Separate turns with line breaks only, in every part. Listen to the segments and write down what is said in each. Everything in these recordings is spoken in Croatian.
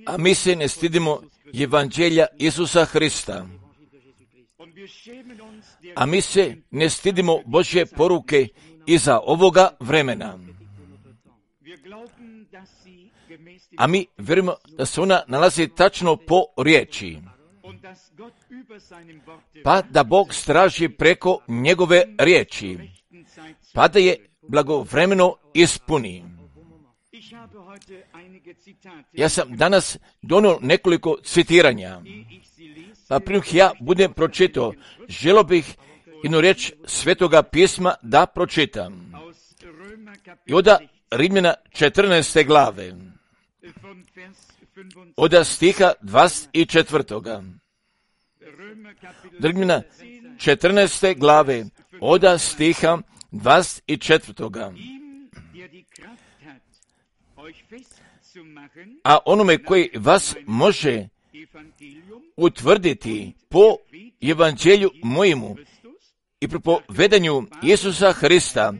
A mi se ne stidimo evanđelja Isusa Hrista. A mi se ne stidimo Božje poruke iza ovoga vremena. A mi vjerujemo da se ona nalazi tačno po riječi. Pa da Bog straži preko njegove riječi. Pa da je blagovremeno ispuni. Ja sam danas donio nekoliko citiranja. Pa prije ja budem pročitao, želio bih jednu riječ Svetoga pisma da pročitam. I od Rimljana 14. glave, od stiha 24. Rimljana 14. glave, od stiha 24. A onome koji vas može utvrditi po evanđelju mojemu i propovedanju Isusa Hrista,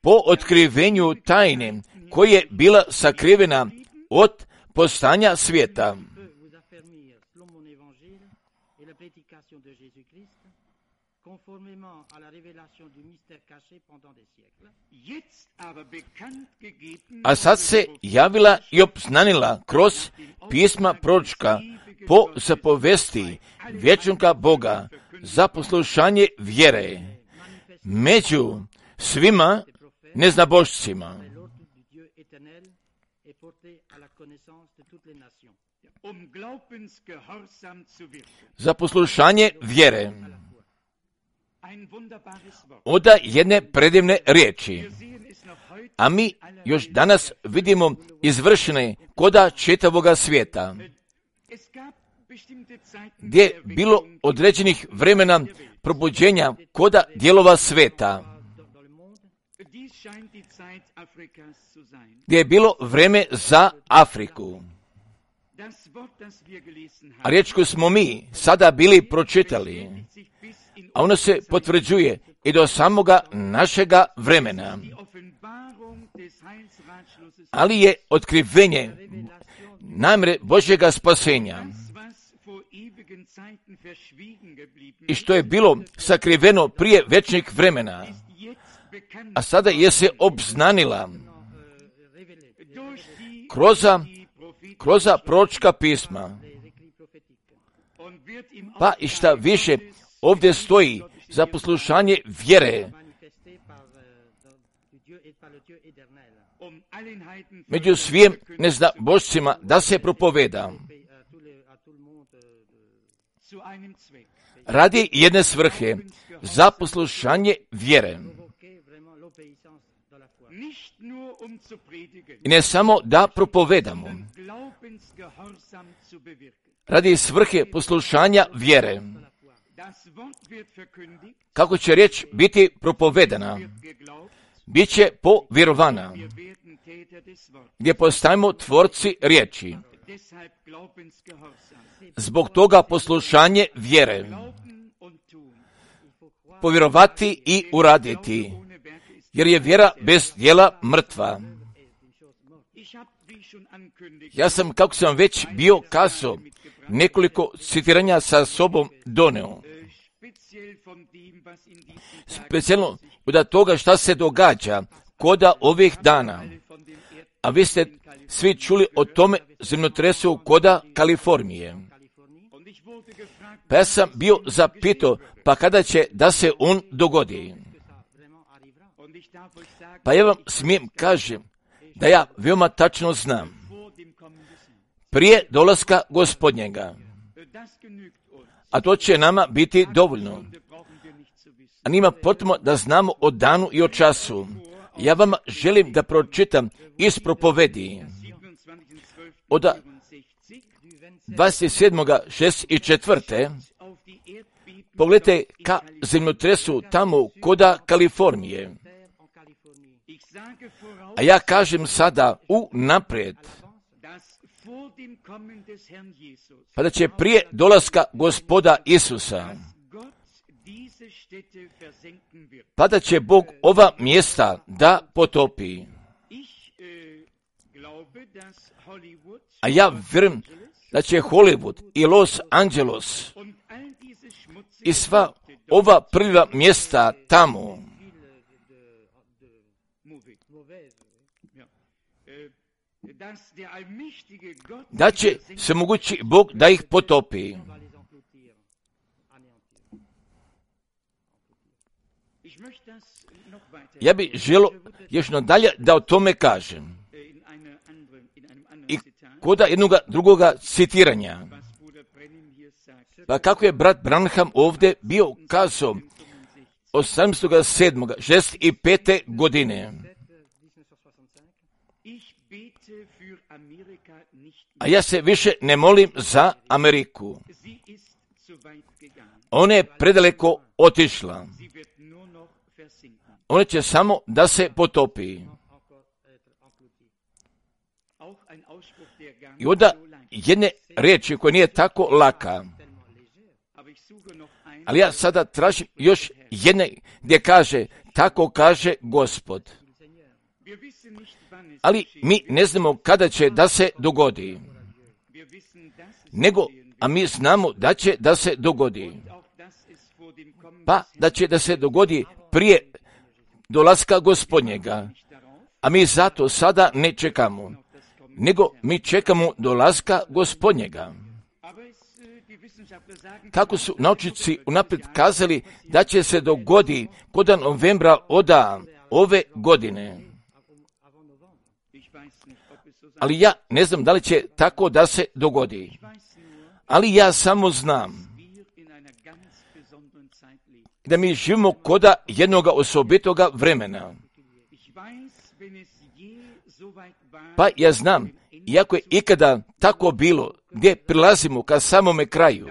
po otkrivenju tajne koja je bila sakrivena od postanja svijeta. A sad se javila i obznanila kroz pisma proročka po zapovesti vječnoga Boga za poslušanje vjere među svima neznabošcima. Za poslušanje vjere. Od jedne predivne riječi. A mi još danas vidimo izvršene koda čitavoga svijeta, gdje je bilo određenih vremena probuđenja koda dijelova svijeta, gdje je bilo vrijeme za Afriku. A riječ koju smo mi sada bili pročitali, a ono se potvrđuje i do samoga našega vremena. Ali je otkrivenje namjere Božjega spasenja i što je bilo sakriveno prije večnih vremena, a sada je se obznanila kroz proročka pisma. Pa i šta više ovdje stoji za poslušanje vjere među svim neznabošcima da se propoveda radi jedne svrhe, za poslušanje vjere. I ne samo da propovedamo, radi svrhe poslušanja vjere. Kako će riječ biti propovedana? Biće povjerovana, gdje postajemo tvorci riječi. Zbog toga poslušanje vjere. Povjerovati i uraditi, jer je vjera bez djela mrtva. Ja sam, kako sam već bio kazao, nekoliko citiranja sa sobom doneo. Specijalno od toga šta se događa koda ovih dana. A vi ste svi čuli o tome zemljotresu koda Kalifornije. Pa ja sam bio zapitao, pa kada će da se on dogodi? Pa ja vam smijem kažem da ja veoma tačno znam. Prije dolaska Gospodnjega. A to će nama biti dovoljno. A nima potrebno da znamo o danu i o času. Ja vam želim da pročitam iz propovedi od 27.6.4. Pogledajte ka zemljotresu tamo koda Kalifornije. A ja kažem sada unaprijed, pa da će prije dolaska Gospoda Isusa, pa da će Bog ova mjesta da potopi. A ja vjerujem da će Hollywood i Los Angeles i sva ova prva mjesta tamo da će se mogući Bog da ih potopi. Ja bih želio još nadalje da o tome kažem. I koda jednoga drugoga citiranja. Pa kako je brat Branham ovdje bio kazao 18.7.65. godine. A ja se više ne molim za Ameriku. Ona je predaleko otišla. Ona će samo da se potopi. I onda jedne riječi koja nije tako laka. Ali ja sada tražim još jedne gdje kaže, tako kaže Gospod. Ali mi ne znamo kada će da se dogodi. A mi znamo da će da se dogodi. Pa da će da se dogodi prije dolaska Gospodnjega. A mi zato sada ne čekamo. Nego mi čekamo dolaska Gospodnjega. Kako su naučnici unaprijed kazali da će se dogodi kod novembra ove godine. Ali ja ne znam da li će tako da se dogodi. Ali ja samo znam da mi živimo koda jednoga osobitoga vremena. Pa ja znam, iako je ikada tako bilo, gdje prilazimo ka samome kraju,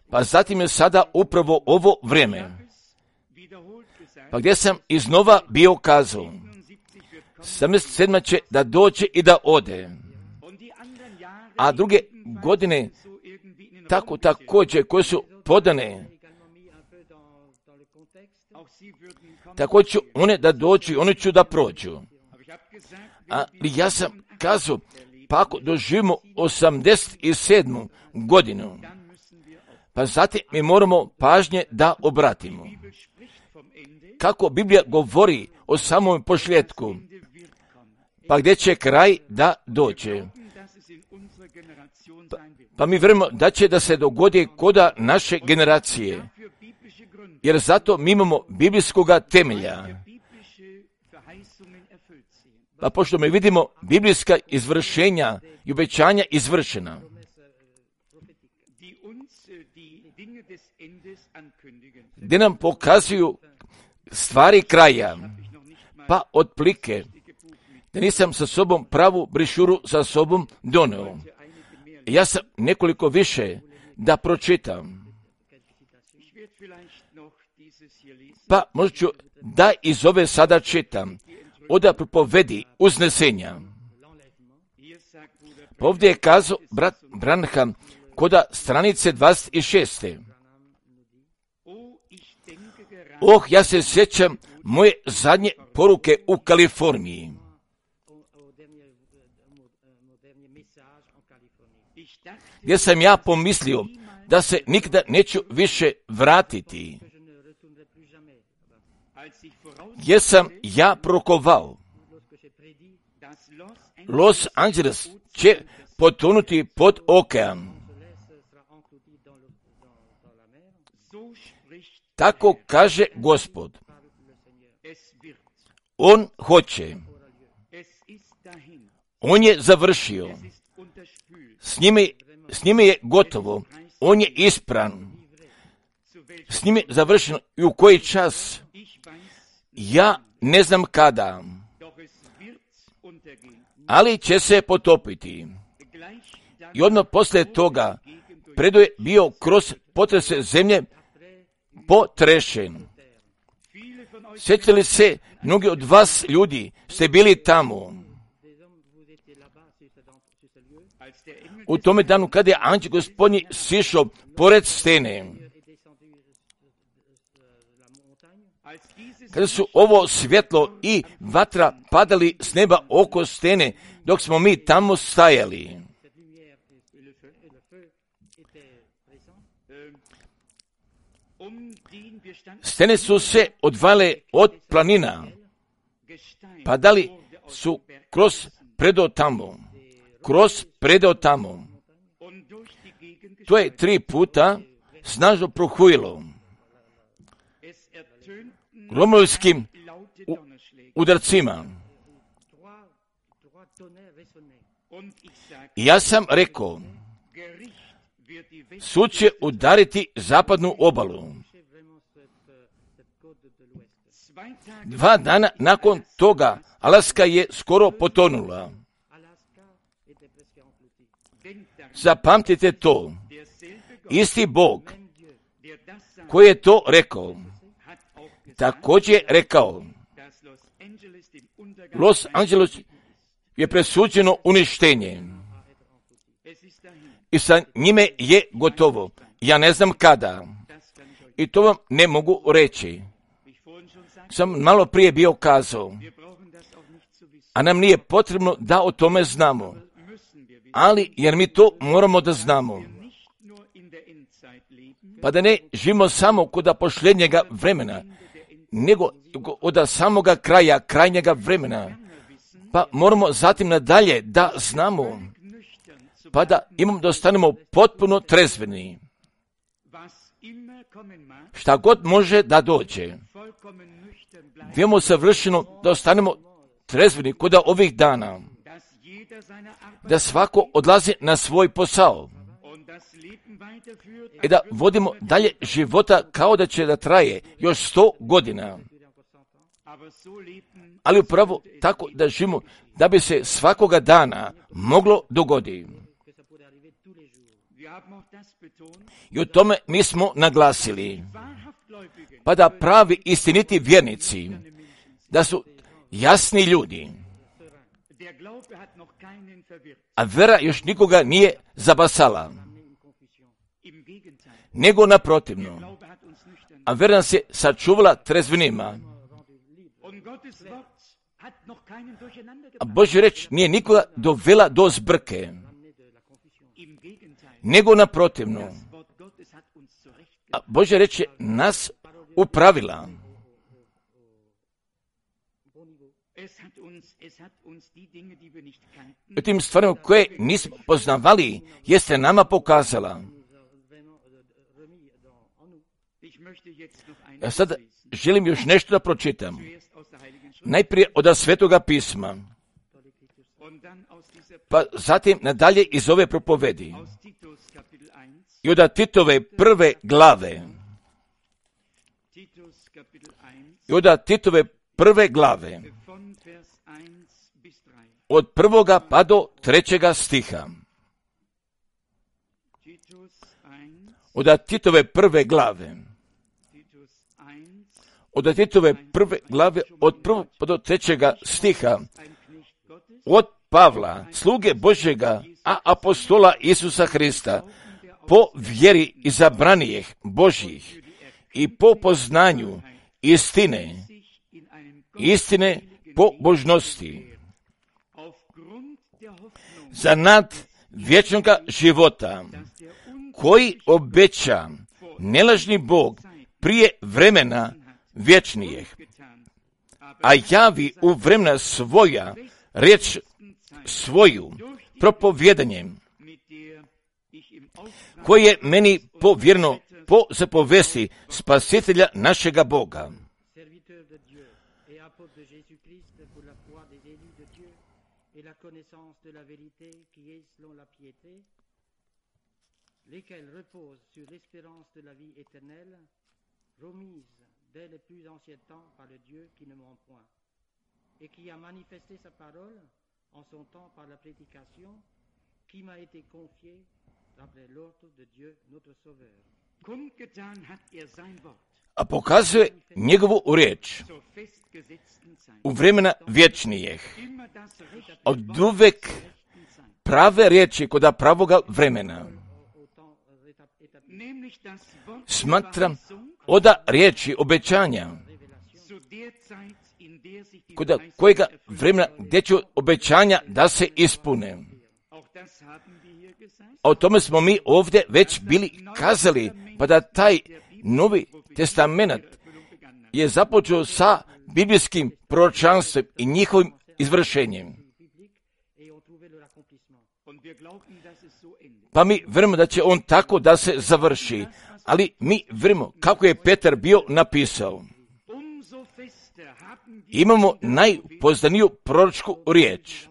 pa zatim je sada upravo ovo vrijeme. Pa gdje sam iznova bio kazao, 77. će da dođe i da ode. A druge godine tako također koje su podane, također one da dođu, one ću da prođu. Ali ja sam kazao, pa ako doživimo 87. godinu, pa zatim mi moramo pažnje da obratimo. Kako Biblija govori o samom pošljetku, pa gdje će kraj da dođe. Pa mi vjerujemo da će da se dogodi koda naše generacije, jer zato mi imamo biblijskoga temelja. Pa pošto mi vidimo biblijska izvršenja i obećanja izvršena, gdje nam pokazuju stvari kraja, pa otplike, da nisam sa sobom pravu brišuru sa sobom doneo. Ja sam nekoliko više da pročitam. Pa možda ću da iz ove sada čitam. Oda propovedi uznesenja. Pa ovdje je kazao brat Branham koda stranice 26. Ja se sjećam moje zadnje poruke u Kaliforniji. Gdje sam ja pomislio da se nikada neću više vratiti. Gdje sam ja prokovao, Los Angeles će potonuti pod okean. Tako kaže Gospod. On hoće. On je završio. S njime je gotovo. On je ispran. S njime je završeno. I u koji čas? Ja ne znam kada. Ali će se potopiti. I odmah poslije toga predo je bio kroz potrese zemlje potrešen. Sjećali se, mnogi od vas ljudi ste bili tamo. U tome danu kada je anđel Gospodnji sišao pored stene. kada su ovo svjetlo i vatra padali s neba oko stene, dok smo mi tamo stajali. Stene su se odvale od planina, padali su kroz predeo tamo. To je 3 puta snažno prohujilo gromovskim udarcima. I ja sam rekao, sud će udariti zapadnu obalu. 2 dana nakon toga Alaska je skoro potonula. Zapamtite to. Isti Bog koji je to rekao, također je rekao, Los Angeles je presuđeno uništenje. I sa njime je gotovo. Ja ne znam kada. I to vam ne mogu reći. Sam malo prije bio kazao. A nam nije potrebno da o tome znamo. Ali, jer mi to moramo da znamo. Pa da ne živimo samo kod posljednjega vremena, nego od samoga kraja, krajnjega vremena. Pa moramo zatim nadalje da znamo, pa da dostanemo potpuno trezveni. Šta god može da dođe, vijemo savršeno da ostanemo trezveni kod ovih dana, da svako odlazi na svoj posao i da vodimo dalje života kao da će da traje još 100 godina. Ali upravo tako da živimo, da bi se svakoga dana moglo dogoditi. I o tome mi smo naglasili. Pa da pravi istiniti vjernici, da su jasni ljudi, a vera još nikoga nije zabasala, nego naprotivno. A vera nas je sačuvala trezvenima. A Božja reč nije nikoga dovela do zbrke, nego naprotivno. A Božja reč je nas upravila. U tim stvarima koje nismo poznavali, jeste nama pokazala. Ja sad želim još nešto da pročitam. Najprije od Svetoga pisma, pa zatim nadalje iz ove propovedi. I od Titove 1. glave. I od Titove 1. glave. Od 1. pa do 3. stiha. Od Titove 1. glave. Od Titove 1. glave, od 1. pa do 3. stiha. Od Pavla, sluge Božjega, a apostola Isusa Hrista, po vjeri izabranijih Božjih i po poznanju istine pobožnosti, za nad vječnoga života, koji obeća nelažni Bog prije vremena vječnijih, a javi u vremena svoja riječ svoju propovjedanjem, koje je meni povjereno po zapovesti Spasitelja našega Boga.
Lesquels reposent sur l'espérance de la vie éternelle, promise dès les plus anciens temps par le Dieu qui ne ment point, et qui a manifesté sa parole en son temps par la prédication qui m'a été confiée d'après l'ordre de Dieu notre Sauveur.
A pokazuje njegovu riječ u vremena vječnijih, od uvek prave riječi kod pravoga vremena. Smatram od riječi obećanja kod kojega vremena gdje će obećanja da se ispune. A o tome smo mi ovdje već bili kazali, pa da taj Novi testament je započeo sa biblijskim proročanstvom i njihovim izvršenjem. Pa mi vjerujemo da će on tako da se završi, ali mi vjerujemo kako je Petar bio napisao. Imamo najpoznaniju proročku riječ,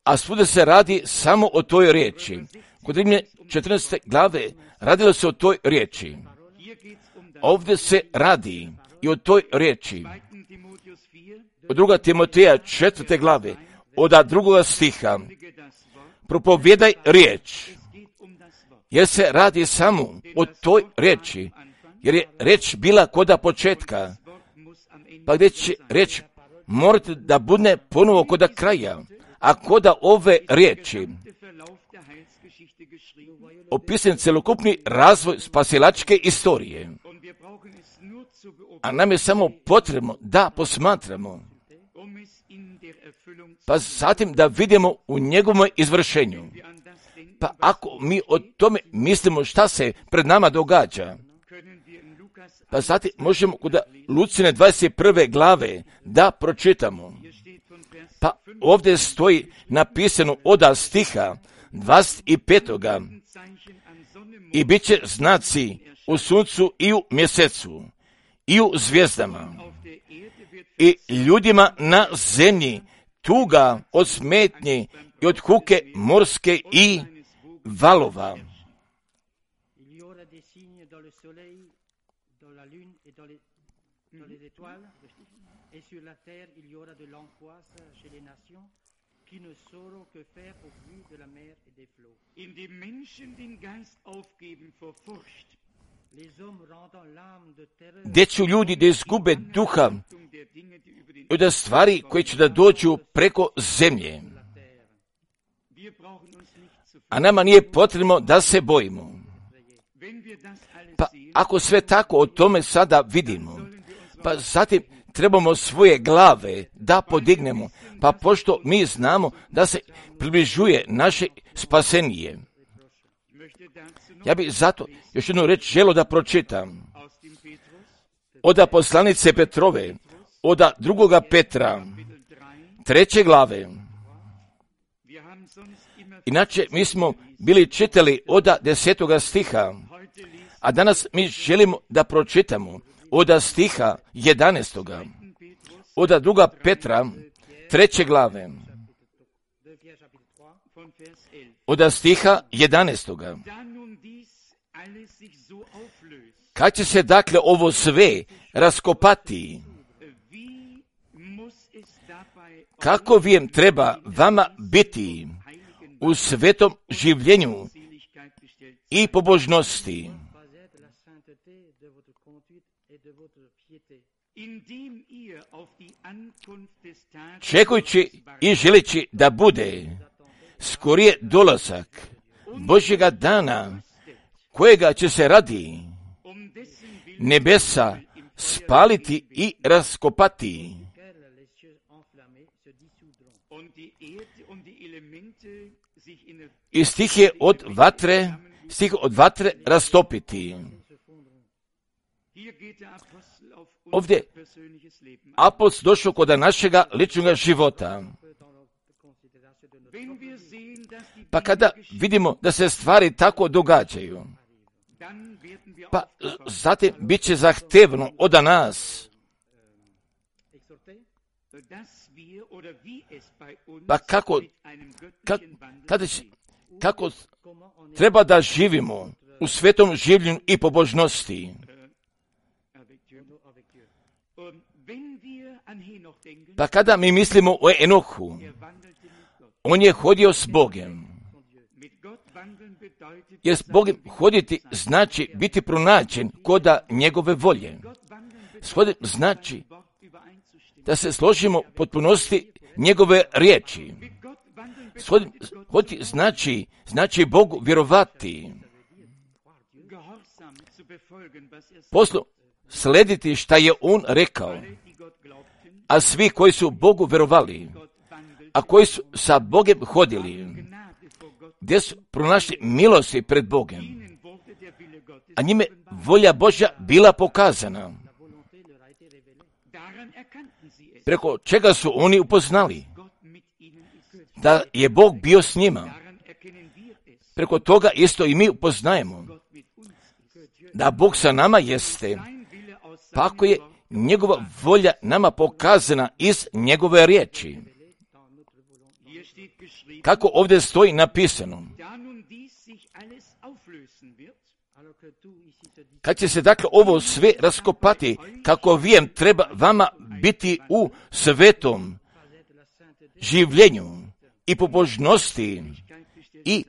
a svuda se radi samo o toj riječi. Kod Rimljana 14. glave radilo se o toj riječi. Ovdje se radi i o toj riječi. Od 2. Timoteja 4. glave, od 2. stiha, propovijedaj riječ, jer se radi samo o toj riječi, jer je riječ bila koda početka, pa gdje će riječ morati da bude ponovo koda kraja, a koda ove riječi opisan celokupni razvoj spasilačke istorije. A nam je samo potrebno da posmatramo, pa zatim da vidimo u njegovom izvršenju. Pa ako mi o tome mislimo šta se pred nama događa, pa zatim možemo kod Lucine 21. glave da pročitamo. Pa ovdje stoji napisano od stiha 25. I bit će znaci u suncu i u mjesecu i u zvijezdama i ljudima na zemlji tuga od smetnje i od huke morske i valova. Gdje će ljudi da izgube duha i od stvari koje će da dođu preko zemlje. A nama nije potrebno da se bojimo. Pa ako sve tako o tome sada vidimo, pa zatim trebamo svoje glave da podignemo, pa pošto mi znamo da se približuje naše spasenije. Ja bih zato još jednu reč želio da pročitam. Od poslanice Petrove, od 2. Petra, 3. glave. Inače, mi smo bili čitali od 10. stiha, a danas mi želimo da pročitamo od stiha 11. Od 2. Petra, 3. glave. Od stiha 11. Kad će se dakle ovo sve raskopati, kako vijem treba vama biti u svetom življenju i pobožnosti, čekujući i želeći da bude skorije dolazak Božjega dana, kojega će se radi nebesa spaliti i raskopati i stih od vatre rastopiti. Ovdje apostol došao kod našega ličnog života. Pa kada vidimo da se stvari tako događaju, pa zatim bit će zahtevno od nas. Pa kako treba da živimo u svetom življenju i pobožnosti. Pa kada mi mislimo o Enohu, on je hodio s Bogem. Jer s Bogem hoditi znači biti pronađen koda njegove volje. S Bogem znači da se složimo potpunosti njegove riječi. S Bogem hoditi znači Bogu vjerovati. Poslu slediti šta je on rekao. A svi koji su Bogu verovali, a koji su sa Bogom hodili, gdje su pronašli milosti pred Bogom, a njime volja Božja bila pokazana. Preko čega su oni upoznali da je Bog bio s njima. Preko toga isto i mi upoznajemo da Bog sa nama jeste, pa ako je njegova volja nama pokazana iz njegove riječi. Kako ovdje stoji napisano, kad će se dakle ovo sve raskopati, kako vijem treba vama biti u svetom življenju i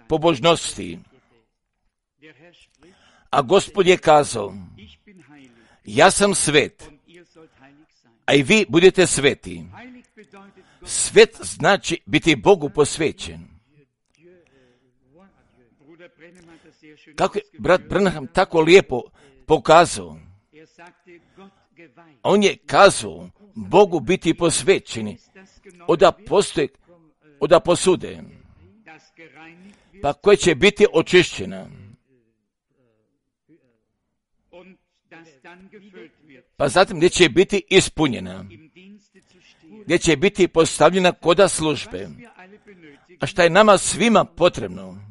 pobožnosti. A Gospod je kazao, ja sam svet, a i vi budete sveti. Svet znači biti Bogu posvećen. Kako je brat Branham tako lijepo pokazao, on je kazao Bogu biti posvećeni od posude, pa koja će biti očišćena, pa zatim gdje će biti ispunjena, gdje će biti postavljena koda službe. A šta je nama svima potrebno,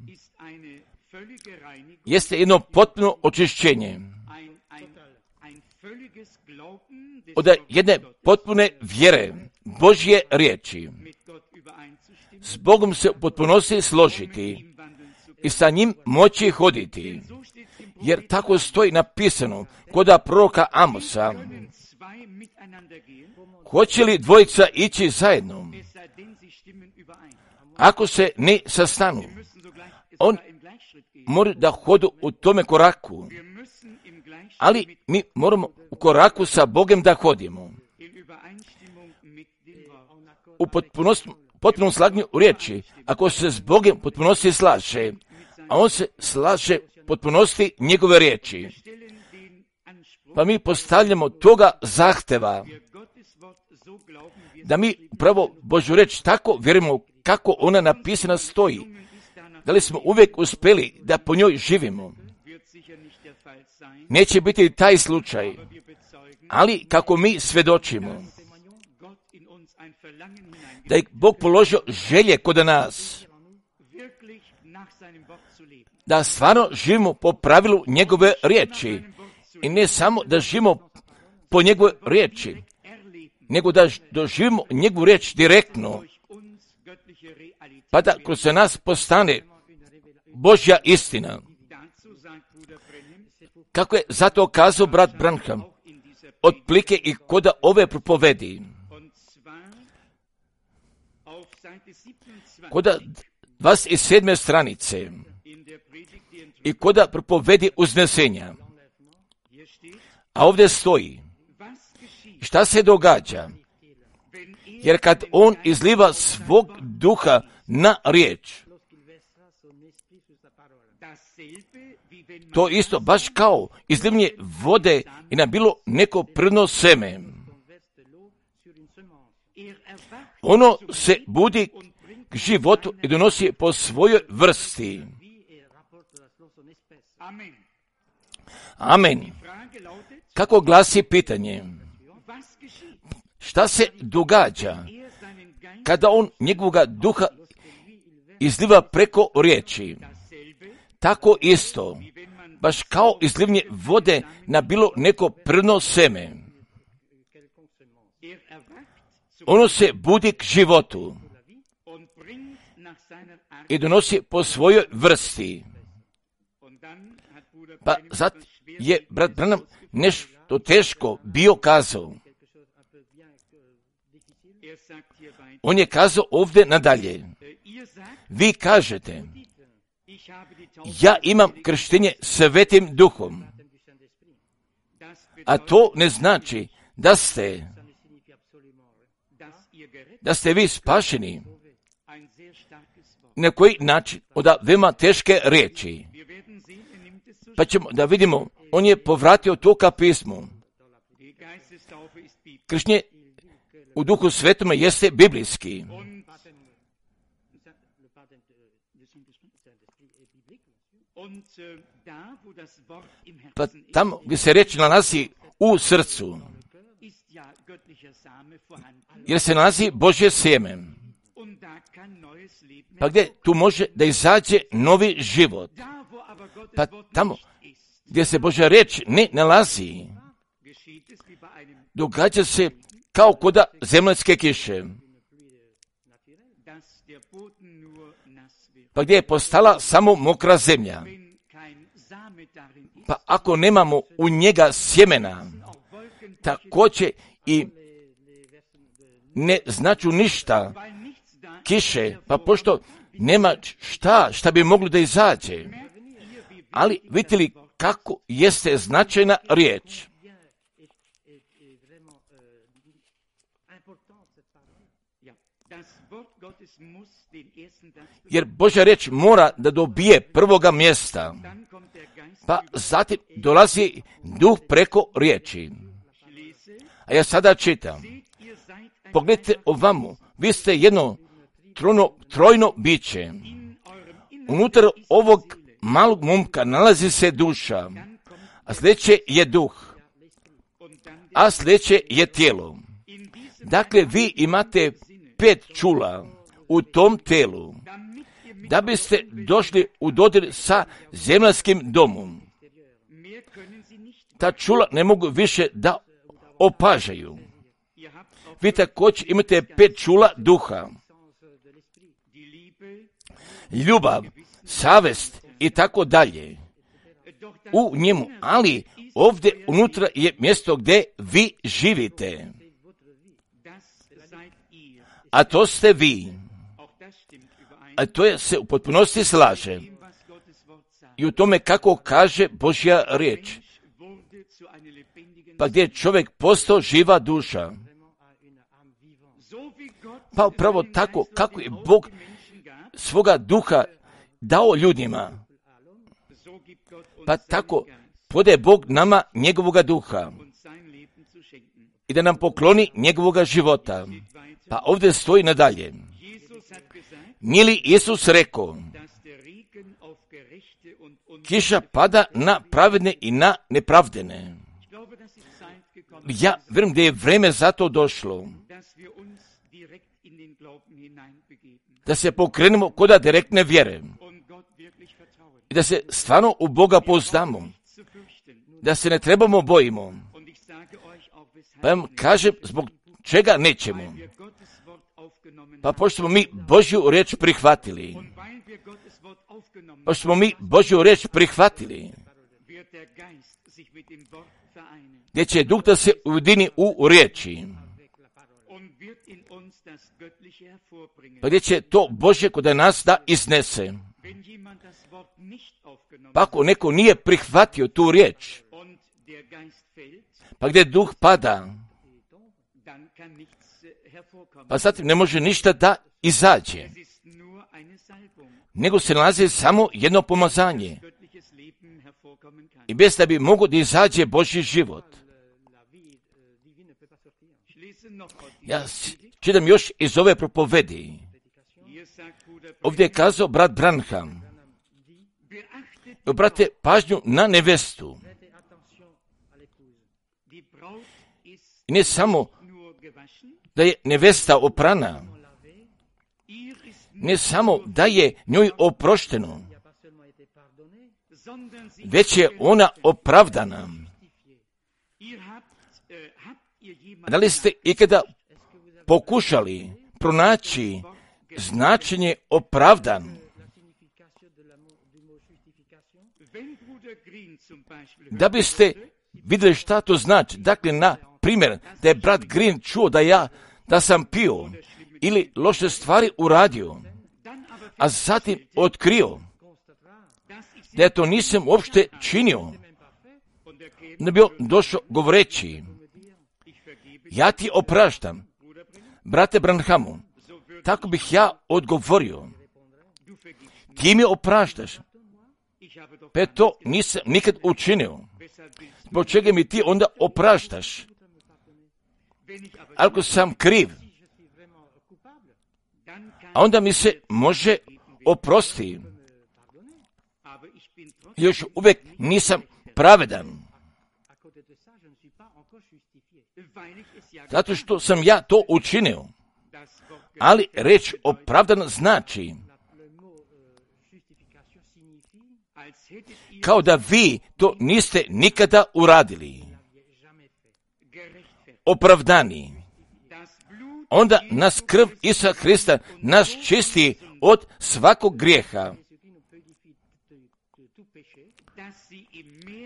jeste jedno potpuno očišćenje od jedne potpune vjere Božje riječi. S Bogom se u potpunosti složiti i sa njim moći hoditi, jer tako stoji napisano koda proroka Amosa, hoće li dvojica ići zajedno, ako se ne sastanu, on mora da hodu u tome koraku, ali mi moramo u koraku sa Bogom da hodimo. U potpunom slaganju u riječi, ako se s Bogom potpunosti slaže, a on se slaže potpunosti njegove riječi, pa mi postavljamo toga zahteva da mi upravo Božju riječ tako vjerujemo kako ona napisana stoji. Da li smo uvijek uspjeli da po njoj živimo? Neće biti taj slučaj, ali kako mi svjedočimo da je Bog položio želje kod nas, da stvarno živimo po pravilu njegove riječi i ne samo da živimo po njegove riječi, nego da doživimo njegovu riječ direktno, pa da kroz nas postane Božja istina. Kako je zato kazao brat Branham, otplike i koda ove propovedi, koda 27. stranice i koda propovedi uznesenja. A ovdje stoji, šta se događa, jer kad on izliva svog duha na riječ, to isto baš kao izlivanje vode i na bilo neko prno seme. Ono se budi k životu i donosi po svojoj vrsti. Amen. Kako glasi pitanje? Šta se događa kada on njegovoga duha izliva preko riječi? Tako isto, baš kao izlivanje vode na bilo neko prno seme. Ono se budi k životu i donosi po svojoj vrsti. Pa zato je brat Branham nešto teško bio kazao. On je kazao ovdje nadalje. Vi kažete, ja imam krštenje Svetim Duhom, a to ne znači da ste vi spašeni. Na koji način? Od veoma teške riječi. Pa ćemo da vidimo, on je povratio to ka pismu. krštenje u Duhu Svetome jeste biblijski. Pa tamo gdje se riječ nalazi u srcu, jer se nalazi Božje sjeme, pa gdje tu može da izađe novi život. Pa tamo gdje se Božja riječ ne nalazi, događa se kao koda zemaljske kiše, pa gdje je postala samo mokra zemlja. Pa ako nemamo u njega sjemena, također i ne značu ništa kiše, pa pošto nema šta bi moglo da izađe. Ali vidite li kako jeste značajna riječ? Jer Božja riječ mora da dobije prvoga mjesta, pa zatim dolazi duh preko riječi. A ja sada čitam. Pogledajte ovamo, vi ste jedno trojno biće. Unutar ovog malog momka nalazi se duša, a sljedeće je duh, a sljedeće je tijelo. Dakle, vi imate 5 čula u tom telu, da biste došli u dodir sa zemaljskim domom. Ta čula ne mogu više da opažaju. Vi također imate 5 čula duha. Ljubav, savest i tako dalje. U njemu, ali ovdje unutra je mjesto gdje vi živite. A to ste vi. A to je se u potpunosti slaže. I u tome kako kaže Božja riječ. Pa gdje je čovjek postao živa duša. Pa upravo tako kako je Bog svoga duha dao ljudima. Pa tako podaje Bog nama njegovoga duha. I da nam pokloni njegovoga života. Pa ovdje stoji nadalje. Nije li Isus rekao, kiša pada na pravedne i na nepravdene? Ja vjerujem da je vrijeme za to došlo. Da se pokrenemo koda direktne vjere. I da se stvarno u Boga pouzdamo. Da se ne trebamo bojimo. Pa vam kažem zbog čega nećemo. Pa pošto smo mi Božju riječ prihvatili. Pošto smo mi Božju riječ prihvatili. Gdje će duh da se ujedini u riječi. Pa gdje će to Božje kod nas da iznese. Pa ako neko nije prihvatio tu riječ, pa gdje duh pada, pa zatim ne može ništa da izađe. Nego se nalazi samo jedno pomazanje. I bez da bi mogo da izađe Božji život. Ja čitam još iz ove propovedi. Ovdje je kazao brat Branham. Obrate pažnju na nevestu. I ne samo da je nevesta oprana, ne samo da je njoj oprošteno, već je ona opravdana. Da li ste ikada pokušali pronaći značenje opravdan? Da biste vidjeli šta to znači. Dakle, na primjer, da je brat Green čuo da sam pio ili loše stvari uradio, a zatim otkrio da ja to nisam uopšte činio, da bi on došao govoreći, ja ti opraštam, brate Branhamu, tako bih ja odgovorio, ti mi opraštaš, pa to nisam nikad učinio, zbog čega mi ti onda opraštaš? Ako sam kriv, a onda mi se može oprostiti. Još uvijek nisam pravedan. Zato što sam ja to učinio. Ali reč opravdan znači kao da vi to niste nikada uradili. Opravdani. Onda nas krv Isusa Krista nas čisti od svakog grijeha.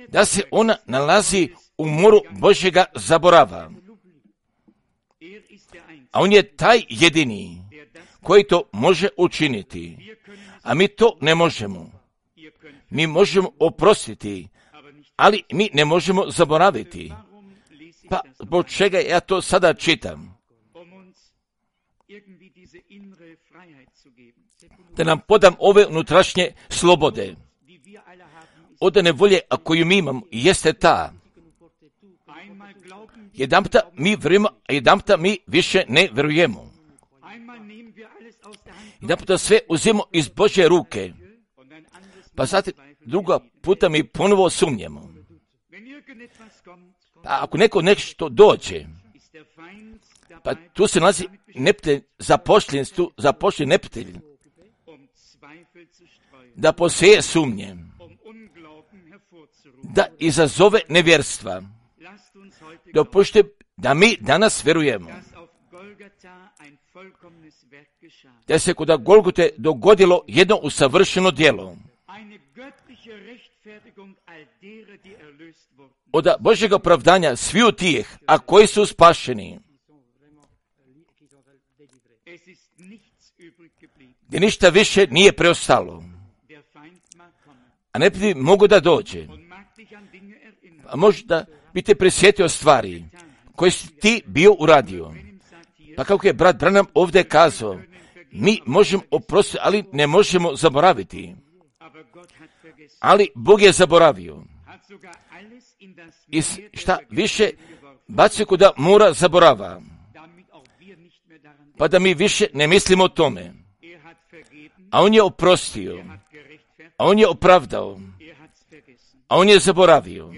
Da se ona nalazi u moru Božjega zaborava. A on je taj jedini koji to može učiniti. A mi to ne možemo. Mi možemo oprostiti, ali mi ne možemo zaboraviti. Pa zbog čega ja to sada čitam? Da nam podam ove unutrašnje slobode. Odane volje, a koju mi imamo, jeste ta. Jedanputa mi vjerujemo, a jedanputa mi više ne vjerujemo. Jedanputa sve uzimamo iz Božje ruke. Pa zatim druga puta mi ponovo sumnjemo. Pa ako neko nešto dođe, pa tu se nalazi neprijatelj, zapošljen neprijatelj, da poseje sumnje, da izazove nevjerstva. Dopušte da mi danas vjerujemo da se kod Golgote dogodilo jedno usavršeno djelo. Od Božjega opravdanja sviju tih, a koji su spašeni, gdje ništa više nije preostalo. A neprijatelj mogu da dođe. A možda bi te prisjetio stvari koje si ti bio uradio. Pa kako je brat Branham ovdje kazao, mi možemo oprostiti, ali ne možemo zaboraviti. Ali Bog je zaboravio. I šta više, bacio kod mora zaborava. Pa da mi više ne mislimo o tome. A on je oprostio. A on je opravdao. A on je zaboravio.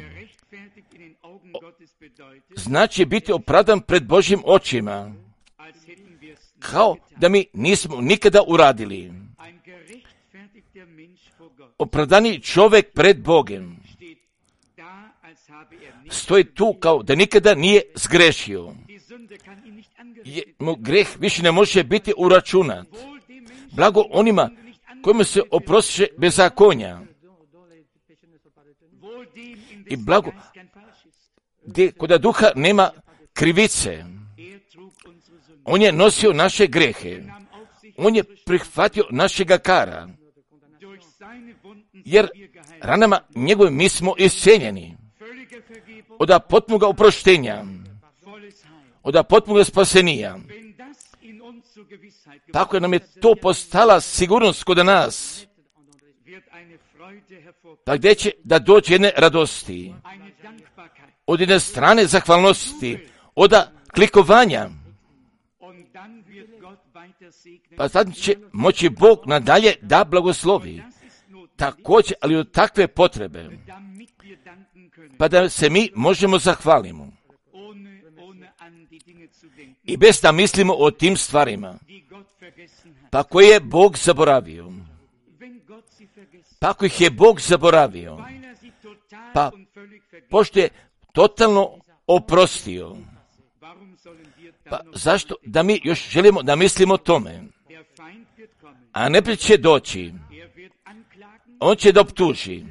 Znači biti opravdan pred Božjim očima. Kao da mi nismo nikada uradili. Opravdani čovjek pred Bogom stoji tu kao da nikada nije zgrešio. Mu greh više ne može biti uračunat. Blago onima kojima se oprostiše bezakonja. I blago gdje kod duha nema krivice. On je nosio naše grehe. On je prihvatio našega kara. Jer ranama njegove mi smo iscijeljeni. Od potpunoga oproštenja. Od potpunoga spasenija. Tako nam je to postala sigurnost kod nas. Pa gdje će da dođe jedne radosti. Od jedne strane zahvalnosti. Od klikovanja. Pa sad će moći Bog nadalje da blagoslovi. Također, ali od takve potrebe. Pa da se mi možemo zahvalimo. I bez da mislimo o tim stvarima. Pa koje je Bog zaboravio. Pa ako ih je Bog zaboravio. Pa pošto je totalno oprostio. Pa zašto da mi još želimo da mislimo o tome? A neprijatelj će doći. On će da optuži.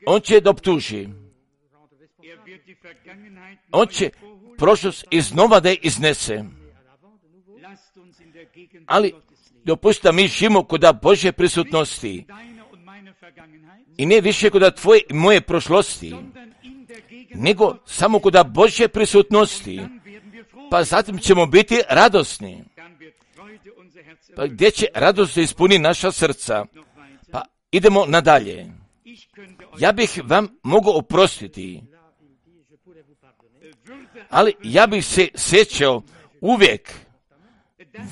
On će da optuži. On će prošlost iznova da je iznese. Ali dopustite mi živimo kod Božje prisutnosti. I ne više kod tvoje i moje prošlosti. Nego samo kod Božje prisutnosti. Pa zatim ćemo biti radosni. Pa gdje će radost ispuni naša srca? Pa idemo nadalje. Ja bih vam mogao oprostiti. Ali ja bih se sjećao uvijek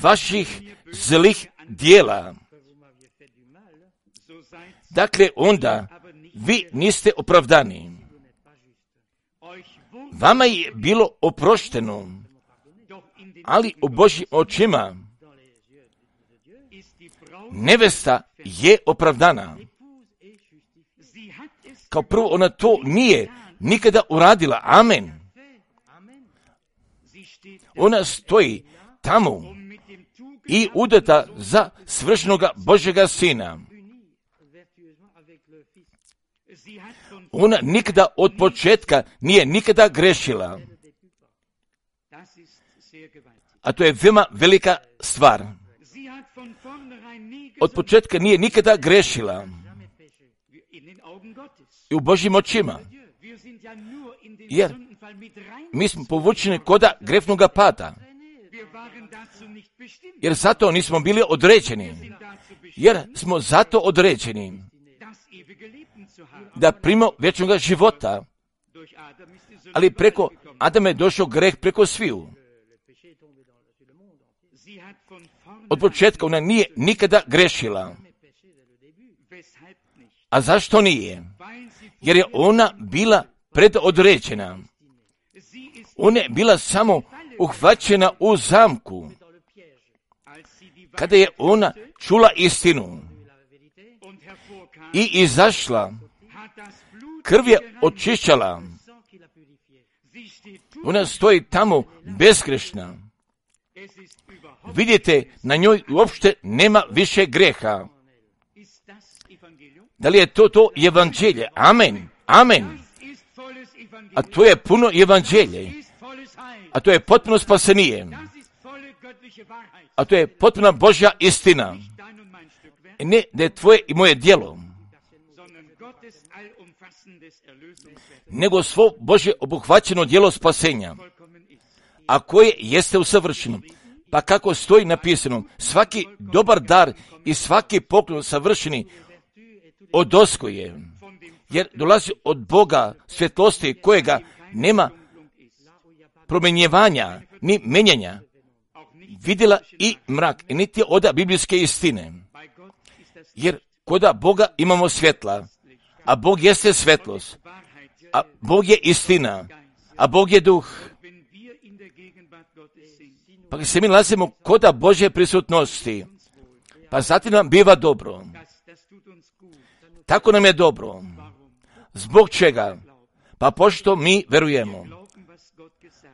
vaših zlih dijela. Dakle, onda vi niste opravdani. Vama je bilo oprošteno, ali u Božjim očima nevesta je opravdana. Kao prvo, ona to nije nikada uradila. Amen. Ona stoji tamo i udata za svršenoga Božjega Sina. Ona nikada od početka nije nikada grešila. A to je veoma velika stvar. Od početka nije nikada grešila. I u Božjim očima. Jer mi smo povučeni koda grefnoga pada. Jer zato nismo bili određeni. Jer smo zato određeni da primimo vječnoga života. Ali preko Adama je došao greh preko sviju. Od početka ona nije nikada grešila. A zašto nije? Jer je ona bila predodređena. Ona je bila samo uhvaćena u zamku. Kada je ona čula istinu i izašla, krv je očišćala. Ona stoji tamo bezgrešna. Vidite, na njoj uopšte nema više greha. Da li je to evanđelje? Amen. Amen. A to je puno evanđelje. A to je potpuno spasenije. A to je potpuna Božja istina. Ne da je tvoje i moje djelo, nego svo Božje obuhvaćeno djelo spasenja, a koje jeste usavršeno. Pa kako stoji napisano, svaki dobar dar i svaki poklon savršeni odosko je, jer dolazi od Boga svjetlosti kojega nema promenjevanja ni menjanja, vidjela i mrak, i niti oda biblijske istine. Jer koda Boga imamo svjetla, a Bog jeste svjetlost, a Bog je istina, a Bog je duh. Pa kad se mi nalazimo koda Božje prisutnosti, pa zatim nam biva dobro. Tako nam je dobro. Zbog čega? Pa pošto mi verujemo.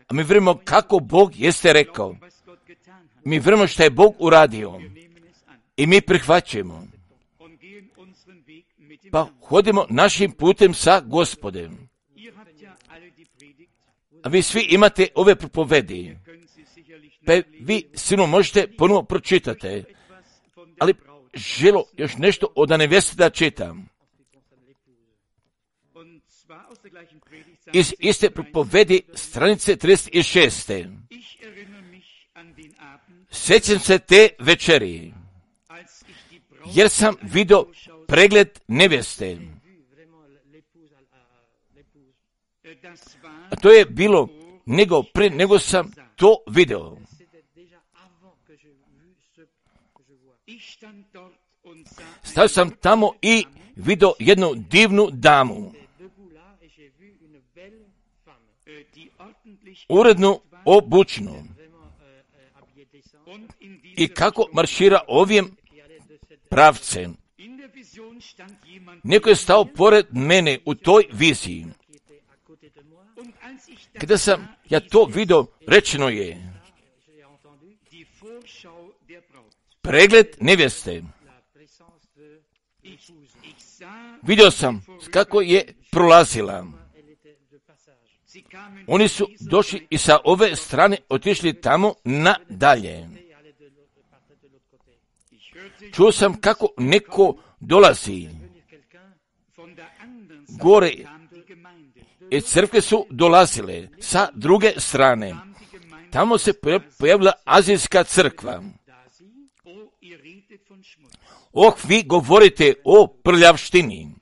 A mi vjerujemo kako Bog jeste rekao. Mi vjerujemo što je Bog uradio. I mi prihvaćamo. Pa hodimo našim putem sa Gospodem. A vi svi imate ove propovedi. Pa vi sigurno možete ponovo pročitati. Ali želo još nešto od neveste da čitam. Iz iste propovedi stranice 36. Sjećam se te večeri, jer sam vidio pregled neveste. A to je bilo prije nego sam to video. Stao sam tamo i vidio jednu divnu damu. Uredno obučnu. I kako maršira ovim pravcem. Neko je stao pored mene u toj viziji. Kada sam ja to vidio, rečeno je pregled nevjeste. Vidio sam kako je prolazila. Oni su došli i sa ove strane otišli tamo nadalje. Čuo sam kako neko dolazi gore. I crkve su dolazile sa druge strane. Tamo se pojavila azijska crkva. Vi govorite o prljavštini.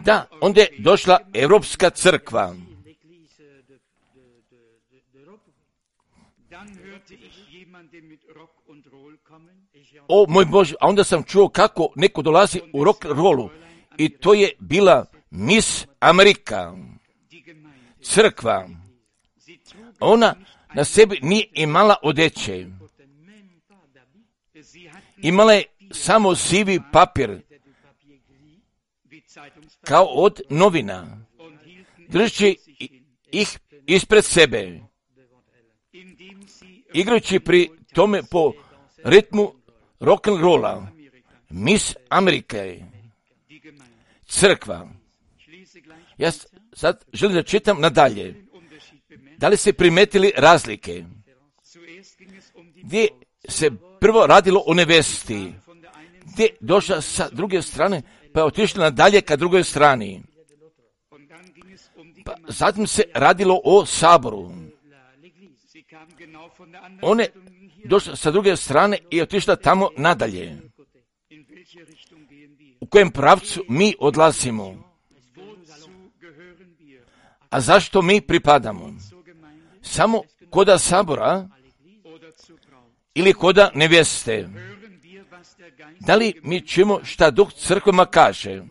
Da, onda je došla Europska crkva. O moj Bože, a onda sam čuo kako neko dolazi u rock rollu i to je bila Miss Amerika, crkva. Ona na sebi nije imala odeće. Imala je samo sivi papir, kao od novina, držeći ih ispred sebe, igrajući pri tome po ritmu rock'n'rolla. Miss Amerike, crkva. Ja sad želim da čitam nadalje. Da li ste primetili razlike? Gdje se prvo radilo o nevesti, gdje došla sa druge strane, pa je otišla nadalje ka drugoj strani. Pa zatim se radilo o saboru. One došla sa druge strane i otišla tamo nadalje. U kojem pravcu mi odlazimo? A zašto mi pripadamo? Samo koda sabora ili koda nevjeste? Da li mi čujemo šta Duh crkvama kaže?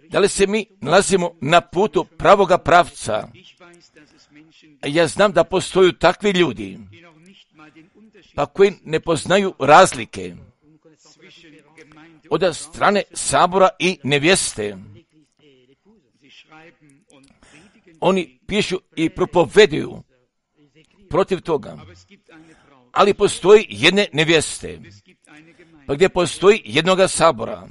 Da li se mi nalazimo na putu pravoga pravca? Ja znam da postoju takvi ljudi, pa koji ne poznaju razlike od strane sabora i nevjeste. Oni pišu i propoveduju protiv toga. Ali postoji jedne nevjeste, pa gdje postoji jednoga sabora.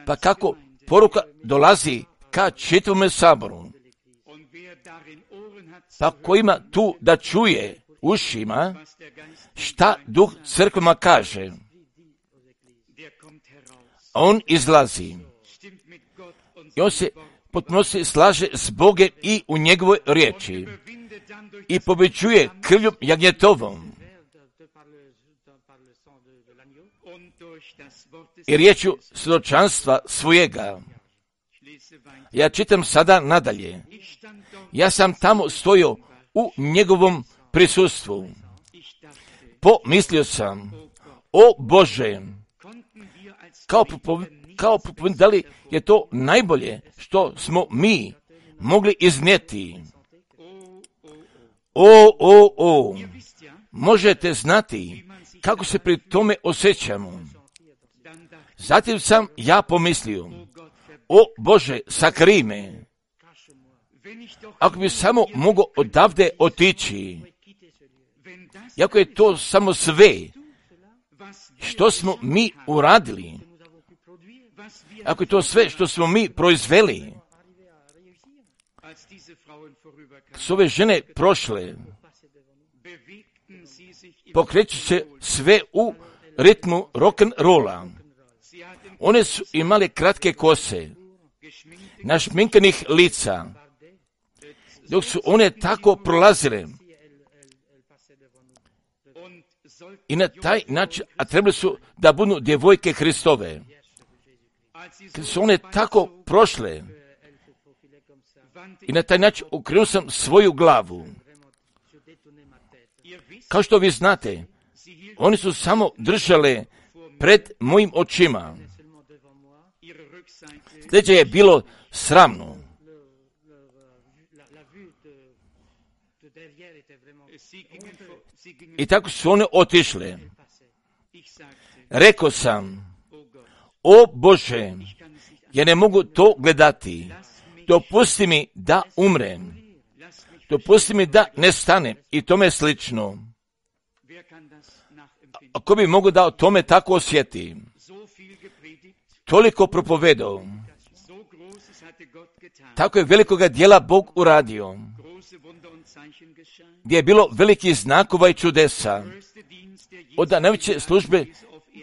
Pa kako poruka dolazi ka čitavome saboru? Pa ko ima tu da čuje ušima šta Duh crkvama kaže, on izlazi i on se potpuno se slaže s Bogom i u njegovoj riječi i pobeđuje krvlju jagnjetovom i riječju svjedočanstva svojega. Ja čitam sada nadalje. Ja sam tamo stojio u njegovom prisustvu. Pomislio sam, o Bože, kao da li je to najbolje što smo mi mogli iznijeti. Možete znati kako se pri tome osjećamo. Zatim sam ja pomislio, o Bože, sakrij me. Ako bi samo mogao odavde otići, iako je to samo sve što smo mi uradili, ako je to sve što smo mi proizveli, s ove žene prošle, pokreću se sve u ritmu rock'n'rolla. One su imale kratke kose, našminkanih lica, dok su one tako prolazile. I na taj način, a trebali su da budu djevojke Hristove. Kad su one tako prošle, i na taj način okrenuo sam svoju glavu. Kao što vi znate, oni su samo držale pred mojim očima. Sljedeće je bilo sramno. I tako su one otišle. Rekao sam, o Bože, ja ne mogu to gledati. Dopusti mi da umrem. Dopusti mi da nestanem i tome slično. Ako bi mogo da o tome tako osjeti, toliko propovedao, tako je velikoga dijela Bog uradio, gdje je bilo velikih znakova i čudesa, od najveće službe,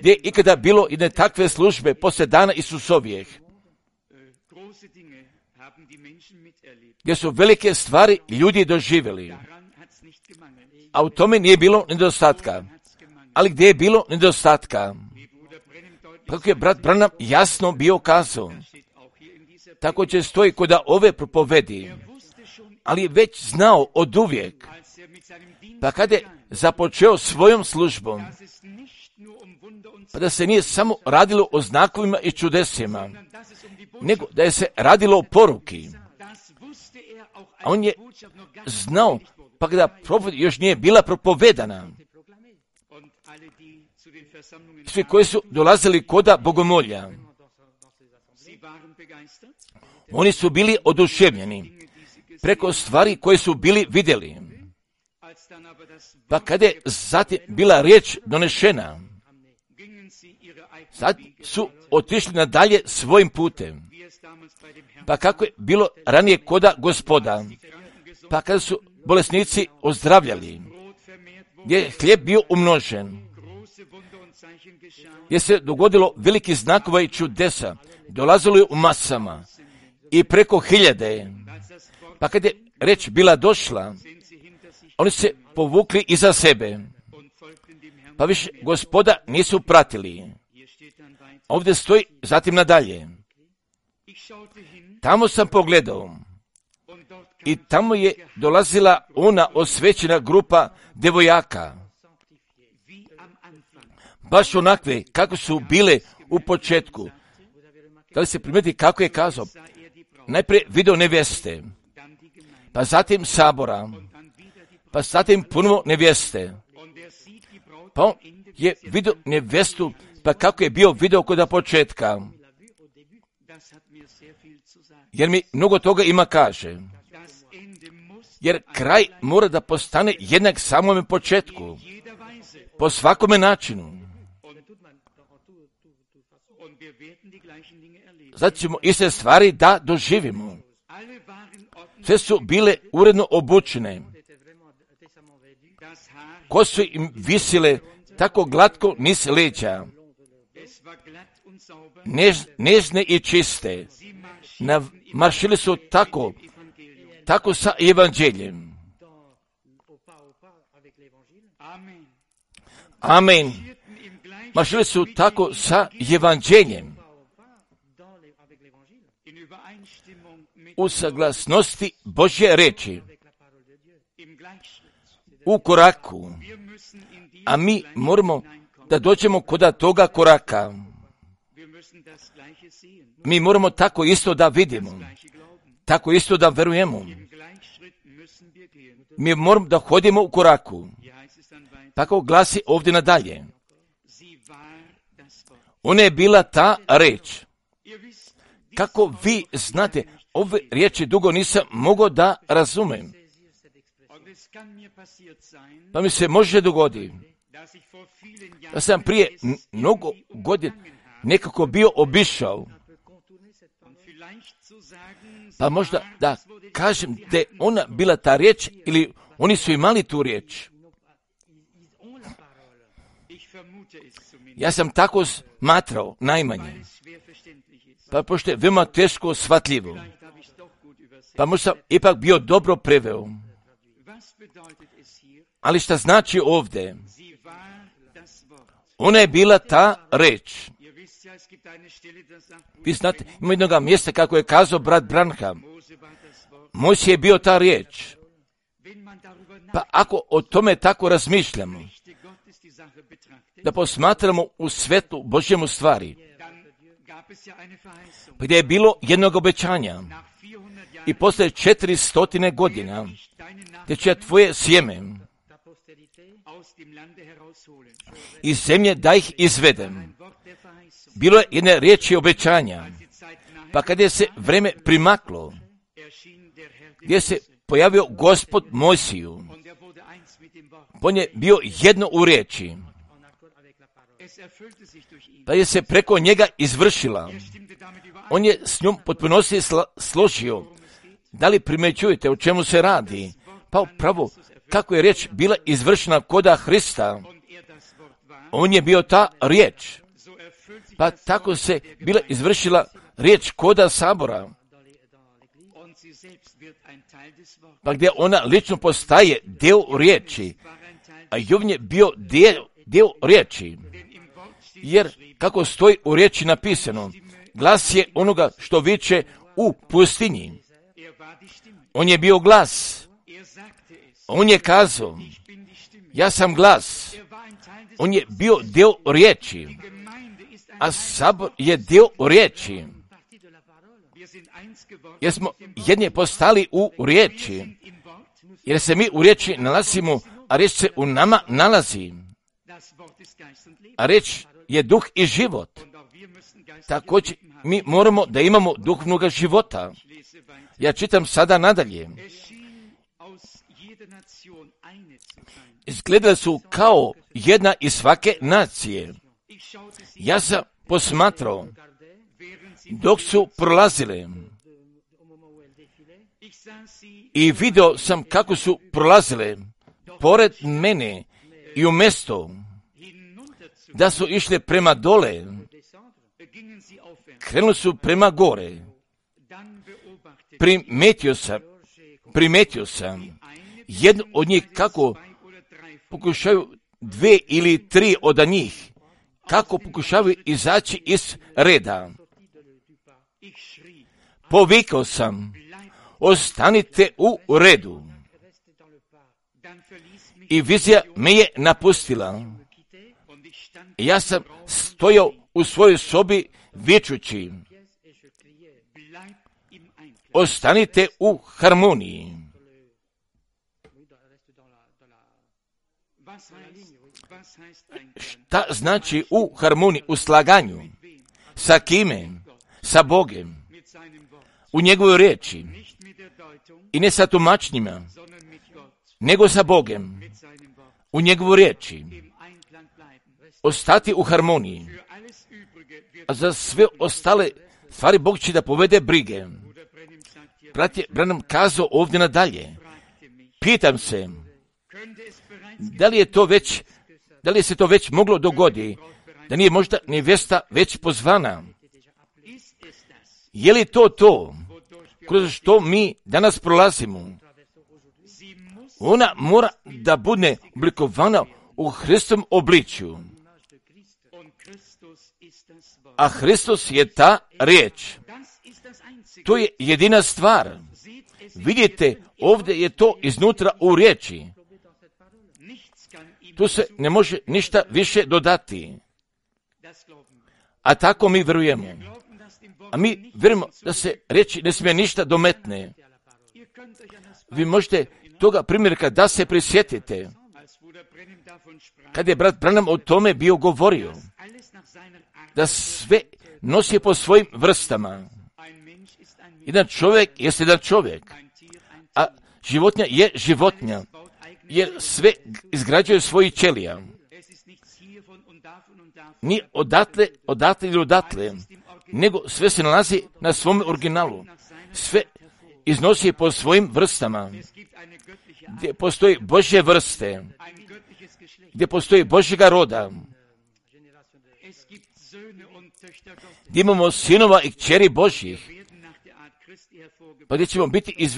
gdje je ikada bilo jedne takve službe poslije dana Isusovijeh, gdje su velike stvari ljudi doživjeli, a u tome nije bilo nedostatka. Ali gdje je bilo nedostatka? Kako je brat Branham jasno bio kazao, tako će stoji kod ove propovedi. ali je već znao od uvijek, pa kada je započeo svojom službom, pa da se nije samo radilo o znakovima i čudesima, nego da je se radilo o poruki. A on je znao, pa kada propovijed još nije bila propovedana, svi koji su dolazili koda bogomolja, oni su bili oduševljeni preko stvari koje su bili vidjeli. Pa kada je zatim bila riječ donešena, sad su otišli nadalje svojim putem. Pa kako je bilo ranije koda Gospoda, pa kada su bolesnici ozdravljali, gdje je hljeb bio umnožen, gdje se dogodilo veliki znakova i čudesa, dolazilo je u masama i preko 1000. Pa kad je reč bila došla, oni se povukli iza sebe, pa više Gospoda nisu pratili. Ovdje stoji zatim nadalje. Tamo sam pogledao i tamo je dolazila ona osvećena grupa devojaka, baš onakve kako su bile u početku. Da li se primijeti kako je kazao? Najprije video nevjeste, pa zatim sabora, pa zatim ponovo nevjeste. Pa on je vidio nevjestu, pa kako je bio video kod početka. Jer mi mnogo toga ima kaže. Jer kraj mora da postane jednak samome početku, po svakome načinu. Zato ćemo iste stvari da doživimo. Sve su bile uredno obučene. Kose im visile tako glatko niz leđa, nežne i čiste. Maršili su tako sa evanđeljem. Amen. Maršili su tako sa evanđeljem. U saglasnosti Božje reči. U koraku. A mi moramo da dođemo kod toga koraka. Mi moramo tako isto da vidimo. Tako isto da verujemo. Mi moramo da hodimo u koraku. Tako glasi ovdje nadalje. Ona je bila ta reč. Kako vi znate, ove riječi dugo nisam mogao da razumem. Pa mi se može dogoditi da sam prije mnogo godina nekako bio obišao. Pa možda da kažem da je ona bila ta riječ ili oni su imali tu riječ. Ja sam tako smatrao najmanje. Pa pošto je veoma teško shvatljivo. Pa možda sam ipak bio dobro preveo. Ali šta znači ovdje? Ona je bila ta reč. Vi znate, ima jednoga mjesta kako je kazao brat Branham. Mojsije je bio ta riječ. Pa ako o tome tako razmišljamo, da posmatramo u svetu Božjemu stvari, gdje je bilo jednog obećanja i posle 400 godina, gdje će tvoje sjeme iz zemlje da ih izvedem. Bilo je jedne riječi obećanja, pa kad je se vreme primaklo, gdje se pojavio Gospod Mojsiju, on je bio jedno u riječi, pa je se preko njega izvršila. On je s njom potpunosti složio. Da li primećujete o čemu se radi? Pa upravo kako je riječ bila izvršena koda Hrista, on je bio ta riječ. Pa tako se bila izvršila riječ koda sabora. Pa gdje ona lično postaje dio riječi, a Jovan je bio dio riječi. Jer kako stoji u riječi napisano, glas je onoga što viče u pustinji. On je bio glas. On je kazao, ja sam glas. On je bio dio riječi. A sabor je dio riječi. Jer smo jedni postali u riječi. Jer se mi u riječi nalazimo, a riječ se u nama nalazi. A riječ je duh i život. Također mi moramo da imamo duhovnog života. Ja čitam sada nadalje. Izgledali su kao jedna iz svake nacije. Ja sam posmatrao dok su prolazile i video sam kako su prolazile pored mene i u mjesto da su išle prema dole, krenuli su prema gore. Primetio sam jednu od njih kako pokušaju 2 ili 3 od njih, kako pokušavaju izaći iz reda. Povikao sam, ostanite u redu. I vizija me je napustila. Ja sam stojao u svojoj sobi vičući, ostanite u harmoniji. Šta znači u harmoniji, u slaganju? Sa kime? Sa Bogem. U njegovoj riječi. I ne sa tumačnjima, nego sa Bogem. U njegovoj riječi. Ostati u harmoniji. A za sve ostale stvari Bog će da povede brige. Brat je Branham kazao ovdje nadalje. Pitam se, da li se to već moglo dogoditi, da nije možda nevjesta već pozvana? Je li to, kroz što mi danas prolazimo? Ona mora da bude oblikovana u Hristovom obličju. A Hristos je ta riječ. To je jedina stvar. Vidite, ovdje je to iznutra u riječi. Tu se ne može ništa više dodati. A tako mi vjerujemo. A mi vjerujemo da se riječi ne smije ništa dometne. Vi možete toga primjerka da se prisjetite. Kad je brat Branham o tome bio govorio, da sve nosi po svojim vrstama. Jedan čovjek jest jedan čovjek, a životinja je životinja, jer sve izgrađuje svojih ćelija. Ni odatle ili odatle, nego sve se nalazi na svom originalu. Sve iznosi po svojim vrstama, gdje postoji Božje vrste, gdje postoji Božjega roda, gdje imamo sinova i kćeri Božjih, pa gdje ćemo biti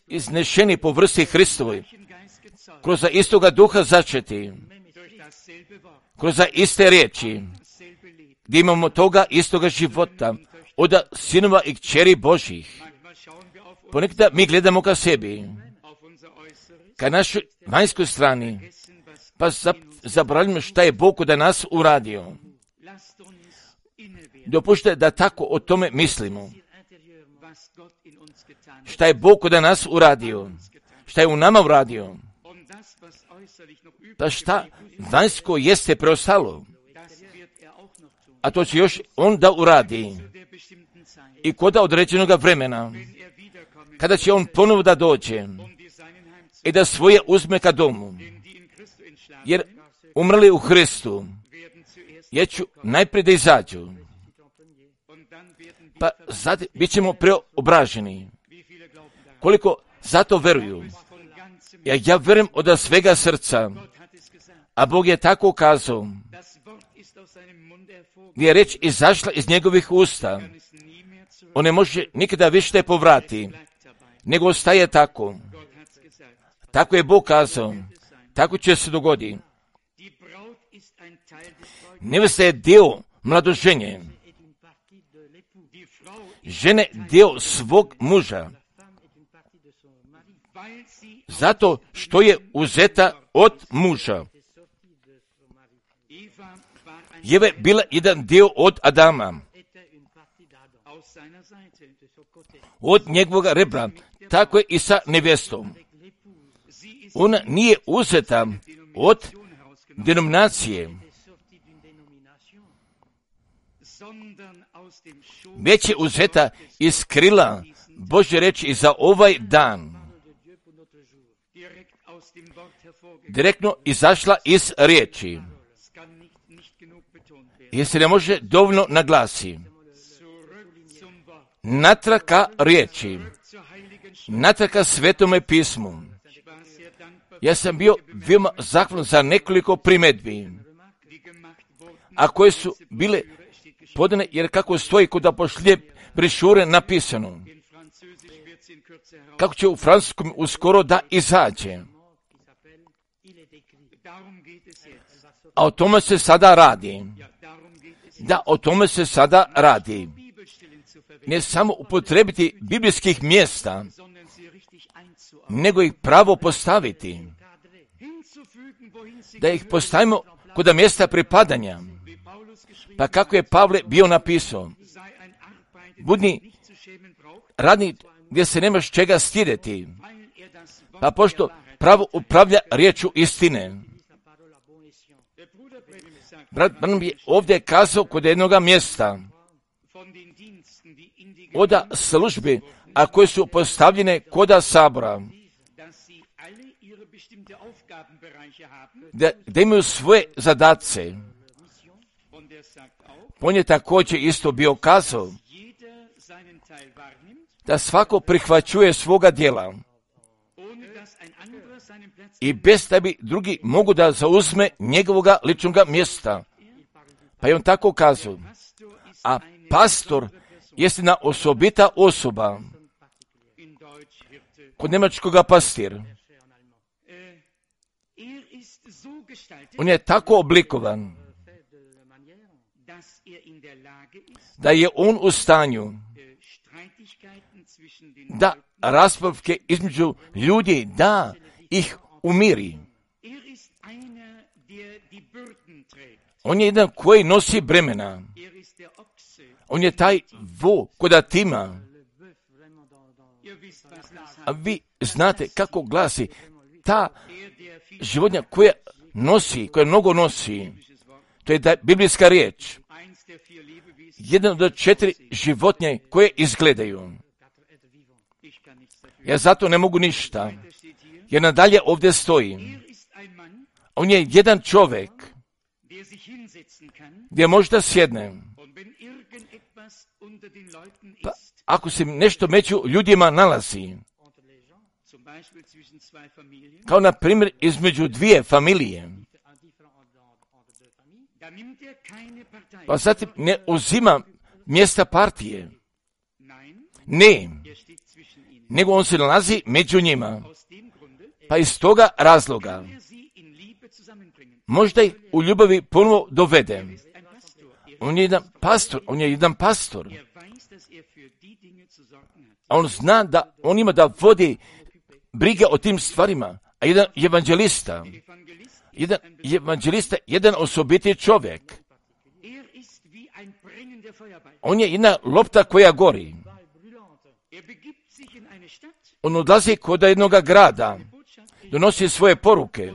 iznešeni po vrsti Hristovoj, kroz istoga duha začeti, kroz iste riječi, gdje imamo toga istoga života, od sinova i kćeri Božjih. Ponekada mi gledamo ka sebi, ka našoj vanjskoj strani, pa zaboravljamo šta je Bog da nas uradio. Dopušte da tako o tome mislimo. Šta je Bog da nas uradio? Šta je u nama uradio? Pa šta vanjsko jeste preostalo? A to će još on da uradi. I kod određenog vremena, kada će on ponovo da dođe i da svoje uzme ka domu, jer umrli u Hristu, jer ću najprije da izađu, pa zatim bit ćemo preobraženi. Koliko zato veruju? Ja verujem od svega srca, a Bog je tako kazao, gdje je reč izašla iz njegovih usta, on ne može nikada više povrati, nego ostaje tako. Tako je Bog kazao, tako će se dogoditi. Nevesta je dio mladoženje, žene dio svog muža, zato što je uzeta od muža. Eva je bila jedan dio od Adama, od njegovog rebra, tako je i sa nevjestom. Ona nije uzeta od denominacije, već je uzeta iz krila Božje riječi za ovaj dan. Direktno izašla iz riječi. Jer se ne može dovoljno naglasi. Natrag ka riječi, natrag ka Svetome pismu. Ja sam bio veoma zahvalan za nekoliko primjedbi, a koje su bile podane, jer kako stoji kod apoštolje brošure napisano, kako će u francuskom uskoro da izađe. A o tome se sada radi. Da, o tome se sada radi. Ne samo upotrebiti biblijskih mjesta, nego ih pravo postaviti. Da ih postavimo kod mjesta pripadanja. Pa kako je Pavle bio napisao, budi radnik gdje se nemaš čega stidjeti, pa pošto pravo upravlja riječu istine. Brat Branham je ovdje kazao kod jednoga mjesta od službi, a koje su postavljene kod sabora, da imaju svoje zadatce. On je također isto bio kazao da svako prihvaćuje svoga djela i bez da bi drugi mogu da zauzme njegovoga ličnoga mjesta. Pa je on tako kazao, a pastor jest jedna osobita osoba, kod njemačkoga pastir. On je tako oblikovan da je on u stanju da raspravke između ljudi, da ih umiri. On je jedan koji nosi bremena. On je taj vo koda tima. A vi znate kako glasi ta životinja koja nosi, koja mnogo nosi. To je biblijska riječ. Jedan od 4 životinje koje izgledaju. Ja zato ne mogu ništa. Jer nadalje ovdje stoji. On je jedan čovjek gdje može da sjedne. Pa ako se nešto među ljudima nalazi, kao na primjer između dvije familije, pa zatim ne uzima mjesta partije. Ne, nego on se nalazi među njima. Pa iz toga razloga možda ih u ljubavi ponovo dovede. On je jedan pastor. A on zna da on ima da vodi brige o tim stvarima. A jedan evanđelista, jedan osobiti čovjek. On je jedna lopta koja gori. On odlazi kod jednog grada, donosi svoje poruke,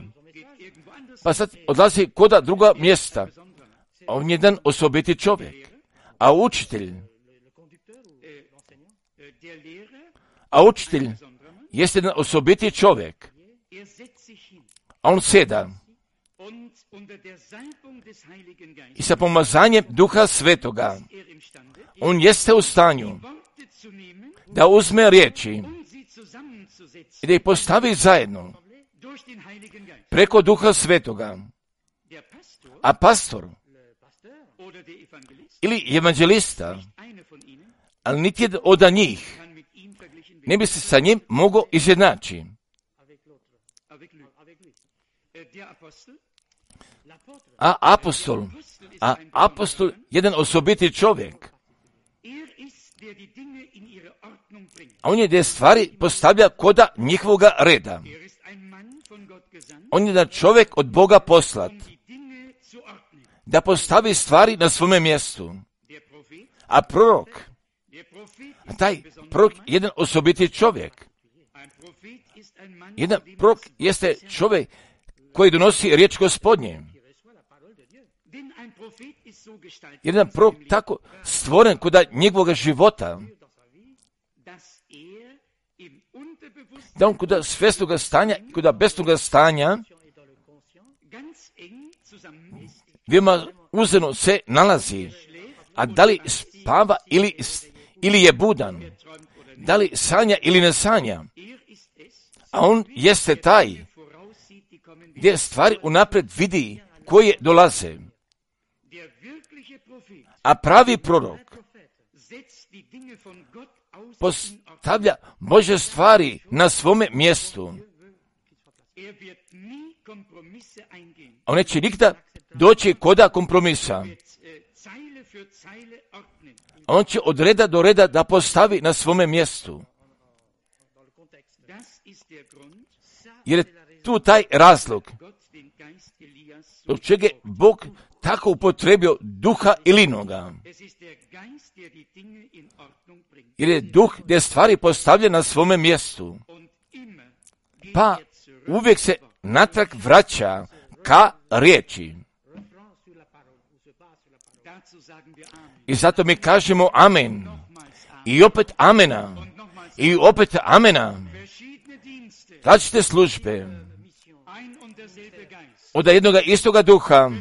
pa sad odlazi kod druga mjesta. On je jedan osobiti čovjek. A učitelj jest jedan osobiti čovjek. A on sjeda i sa pomazanjem Duha Svetoga on jeste u stanju da uzme riječi i da ih postavi zajedno preko Duha Svetoga. A pastor ili evanđelista, ali niti jedan od njih ne bi se sa njim mogao izjednačiti. A apostol, jedan osobiti čovjek. A on je gdje stvari postavlja koda njihovoga reda. On je da čovjek od Boga poslat, da postavi stvari na svome mjestu. A prorok, taj prorok je jedan osobiti čovjek. Jedan prorok jeste čovjek koji donosi riječ Gospodnje. Jedan prorok tako stvoren kod njegovog života, da on kod svjesnoga stanja, kod besnoga stanja, veoma uzeno se nalazi. A da li spava ili je budan? Da li sanja ili ne sanja? A on jeste taj gdje stvari unaprijed vidi koje dolaze. A pravi prorok postavlja Božje stvari na svome mjestu. On neće nikada doći koda kompromisa. On će od reda do reda da postavi na svome mjestu. Jer je tu taj razlog zbog čega je Bog tako upotrebio duha Ilinoga. Jer je duh gdje stvari postavlja na svome mjestu. Pa uvijek se natrag vraća ka riječi. I zato mi kažemo amen. I opet amena. I opet amena. Različite službe. Od jednoga istoga duha.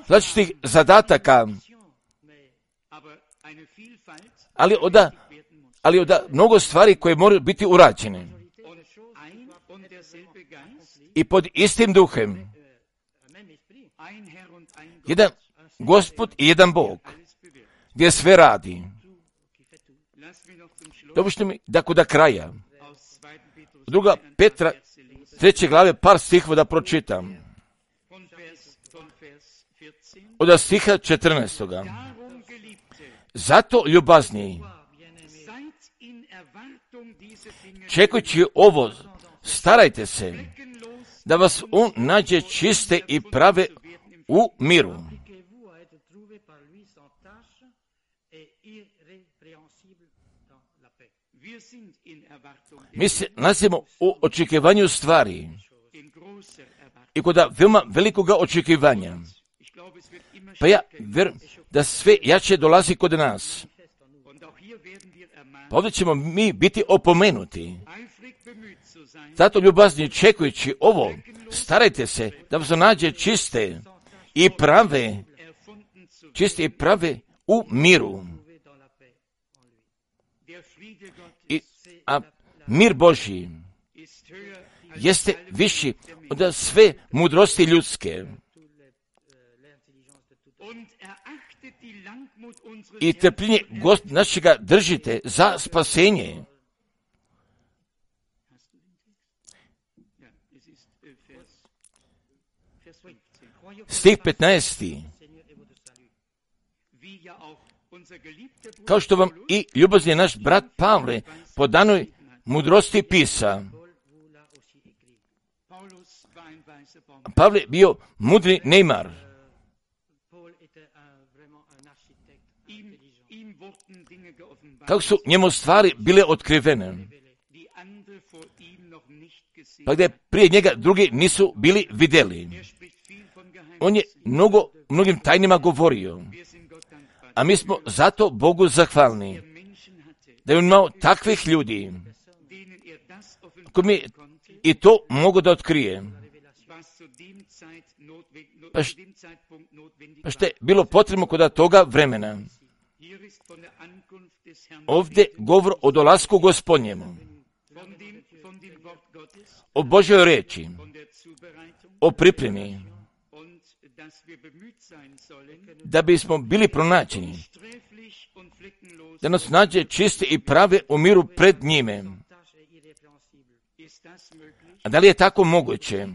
Različitih zadataka. Ali od mnogo stvari koje moraju biti urađene. I pod istim duhem. Jedan Gospod i jedan Bog. Gdje sve radi. Dopušte mi da kod kraja. Druga Petra, 3. glave, par stihova da pročitam. Od stiha 14. Zato ljubazni, čekujući ovo, starajte se da vas on nađe čiste i prave u miru. Mi se nalazimo u očekivanju stvari i kod veoma velikoga očekivanja. Pa ja vjerujem da sve jače dolazi kod nas. Pa ovdje ćemo mi biti opomenuti. Zato ljubazni čekujući ovo, starajte se da vas nađe čiste i prave u miru. A mir Božji jeste viši od sve mudrosti ljudske. I trpljenje našega držite za spasenje. Stih 15. Kao što vam i ljubazni naš brat Pavle po danoj mudrosti pisa. Pavle bio mudri Neymar. Kako su njemu stvari bile otkrivene. Pa gdje prije njega drugi nisu bili vidjeli. On je mnogim tajnima govorio. A mi smo zato Bogu zahvalni. Da je on imao takvih ljudi koji mi i to mogu da otkrije. Pa što je bilo potrebno kod toga vremena. Ovdje govor o dolasku Gospodnjemu, o Božjoj riječi, o pripremi, da bismo bili pronađeni, da nas nađe čiste i prave u miru pred njime. A da li je tako moguće?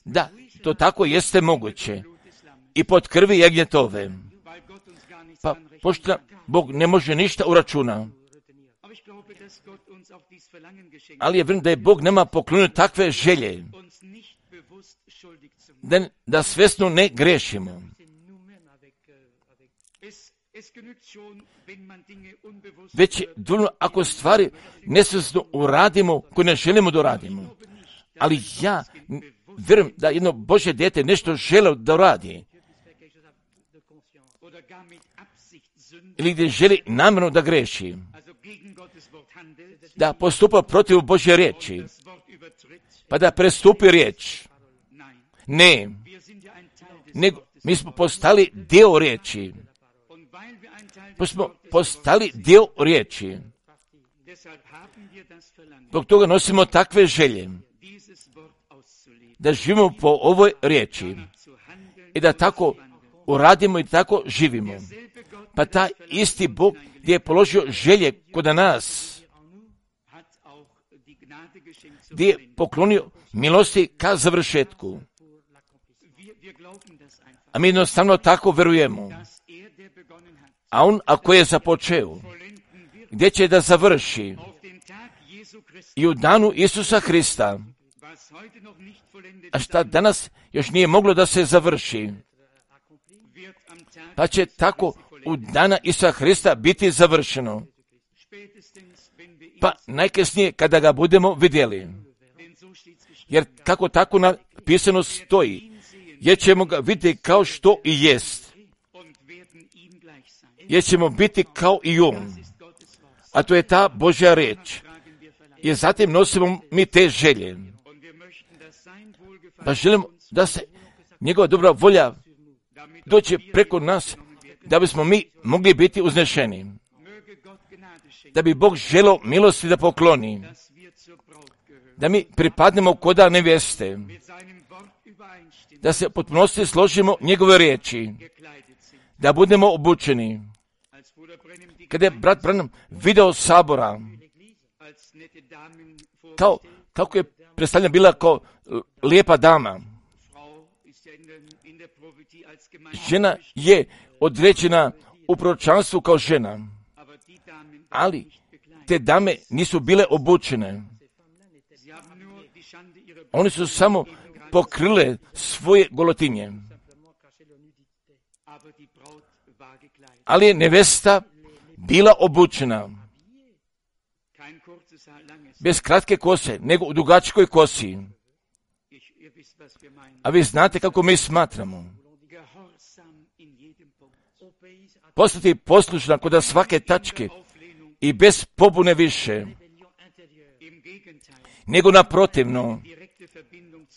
Da, to tako jeste moguće. I pod krvi jagnjetove. Pa pošto Bog ne može ništa uračuna. Ali je vjerujem da je Bog nama poklonio takve želje, da svjesno ne grešimo. Već je dovoljno ako stvari nesvjesno uradimo koje ne želimo da uradimo. Ali ja vjerujem da jedno Božje dijete nešto želi da uradi. Ili gdje želi namjerno da greši. Da postupa protiv Božje riječi. Pa da prestupi riječ. Ne. Nego mi smo postali dio riječi. Pa smo postali dio riječi. Zbog toga nosimo takve želje. Da živimo po ovoj riječi. I da tako uradimo i tako živimo. Pa taj isti Bog gdje je položio želje kod nas, gdje je poklonio milosti ka završetku. A mi jednostavno tako verujemo. A on, ako je započeo, gdje će da završi? I u danu Isusa Hrista. A šta danas još nije moglo da se završi? Pa će tako u dana Isusa Hrista biti završeno. Pa najkasnije kada ga budemo vidjeli. Jer kako tako napisano stoji, jer ćemo ga vidjeti kao što i jest. Jer ćemo biti kao i on. A to je ta Božja riječ. I zatim nosimo mi te želje. Pa želimo da se njegova dobra volja dođe preko nas, da bismo mi mogli biti uznešeni. Da bi Bog želio milosti da pokloni. Da mi pripadnemo koda nevjeste. Da se potpunosti složimo njegove riječi. Da budemo obučeni. Kada je brat Branham video sabora, kako je predstavljena bila kao lijepa dama. Žena je određena u proročanstvu kao žena. Ali te dame nisu bile obučene. Oni su samo pokrile svoje golotinje. Ali je nevesta bila obučena. Bez kratke kose, nego u dugačkoj kosi. A vi znate kako mi smatramo. Postati poslušna kod svake tačke i bez pobune više. Nego naprotivno,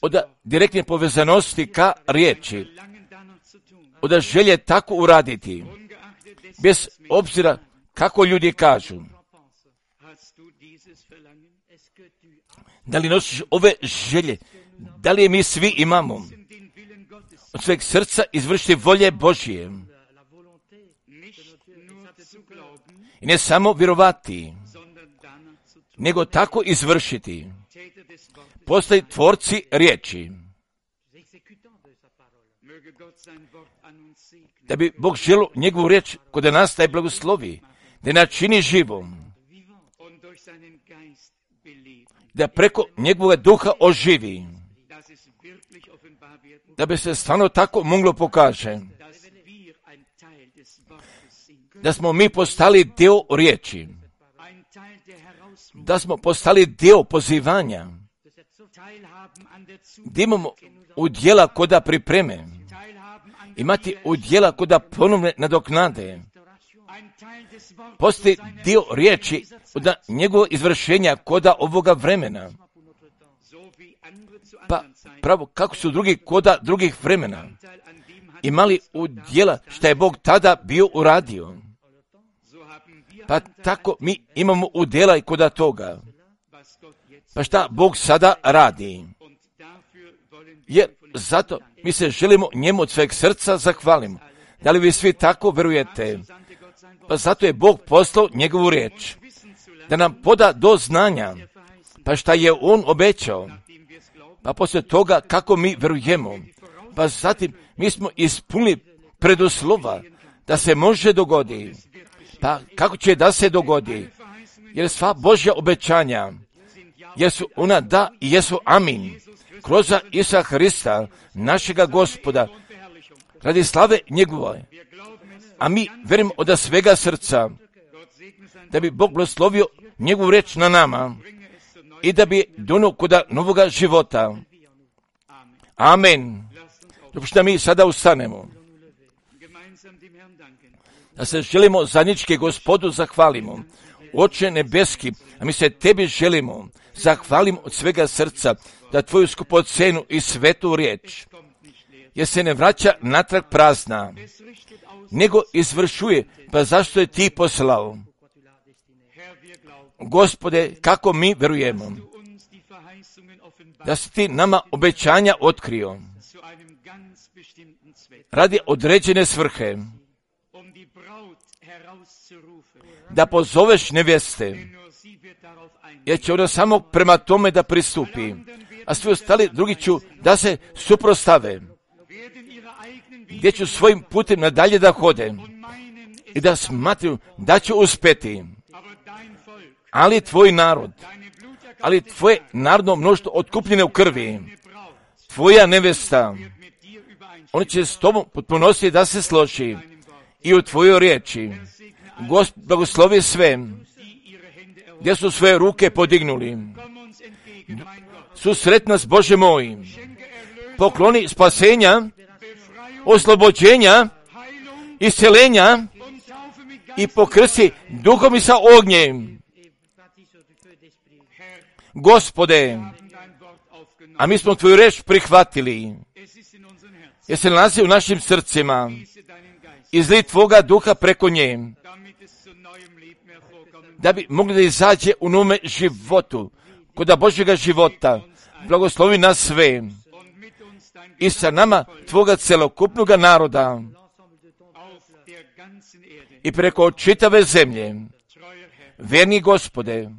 od direktne povezanosti ka riječi. Od želje tako uraditi. Bez obzira kako ljudi kažu. Da li nosiš ove želje? Da li je mi svi imamo? Od sveg srca izvršiti volje Božije. I ne samo vjerovati, nego tako izvršiti. Postaju tvorci riječi. Da bi Bog želio njegovu riječ kod nas taj blagoslovi, da načini živom, da preko njegovog duha oživi, da bi se stvarno tako moglo pokaže, da smo mi postali dio riječi, da smo postali dio pozivanja, da imamo udjela koda pripreme, imati udjela koda ponovne nadoknade, postoji dio riječi od njegovog izvršenja koda ovoga vremena. Pa pravo, kako su drugi koda drugih vremena imali udjela šta je Bog tada bio uradio. Pa tako mi imamo udjela i koda toga. Pa šta Bog sada radi? Jer zato mi se želimo njemu od sveg srca zahvalimo. Da li vi svi tako verujete? Pa zato je Bog poslao njegovu riječ. Da nam poda do znanja. Pa šta je on obećao? Pa poslije toga kako mi verujemo? Pa zatim mi smo ispunili preduslova da se može dogodi. Pa kako će da se dogodi? Jer sva Božja obećanja, jesu ona da i jesu amin. Kroz Isusa Hrista, našega Gospoda, radi slave njegove. A mi verujemo od svega srca da bi Bog blagoslovio njegovu reč na nama i da bi donio kod novoga života. Amen. Dopustite mi sada ustanemo. Da se želimo zajednički Gospodu zahvalimo. Oče nebeski, a mi se tebi želimo, zahvalimo od svega srca da tvoju skupocenu i svetu riječ, jer se ne vraća natrag prazna, nego izvršuje, pa zašto je ti poslao? Gospode, kako mi verujemo da si ti nama obećanja otkrio radi određene svrhe, da pozoveš nevjeste, jer će ona samo prema tome da pristupi, a svi ostali drugi ću da se suprostave, gdje ću svojim putem nadalje da hode i da smatruju da ću uspjeti. Ali tvoj narod, ali tvoje narodno mnoštvo otkupljene u krvi, tvoja nevjesta, oni će s tobom potpunosti da se složi i u tvojoj riječi. Gospod blagoslovi sve, gdje su svoje ruke podignuli. Susret nas, Bože moj, pokloni spasenja, oslobođenja, isceljenja i pokrsti duhom i sa ognjem. Gospode, a mi smo tvoju reč prihvatili, jer se nalazi u našim srcima, izli tvoga duha preko nje, da bi mogli da izađe u nome životu, kod Božjega života. Blagoslovi nas sve i sa nama tvoga celokupnog naroda i preko čitave zemlje. Verni Gospode,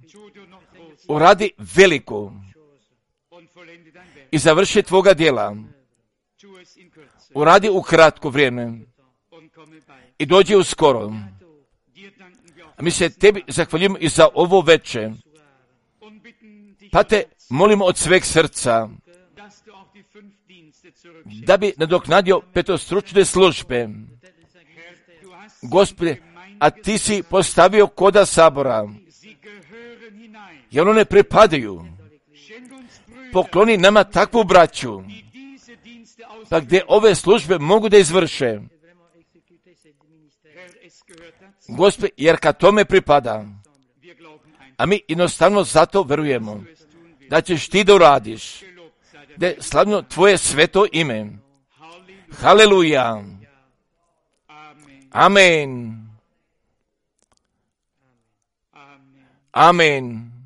uradi veliko i završi tvoga djela. Uradi u kratko vrijeme i dođi uskoro. A mi se tebi zahvaljujemo i za ovo veče. Pa te molimo od sveg srca da bi nadoknadio petostručne službe. Gospode, a ti si postavio koda sabora, jer one pripadaju. Pokloni nama takvu braću, pa gdje ove službe mogu da izvrše. Gospode, jer kad tome pripada, a mi jednostavno zato verujemo da ćeš ti da uradiš, da je slavno tvoje sveto ime. Haleluja. Amen. Amen.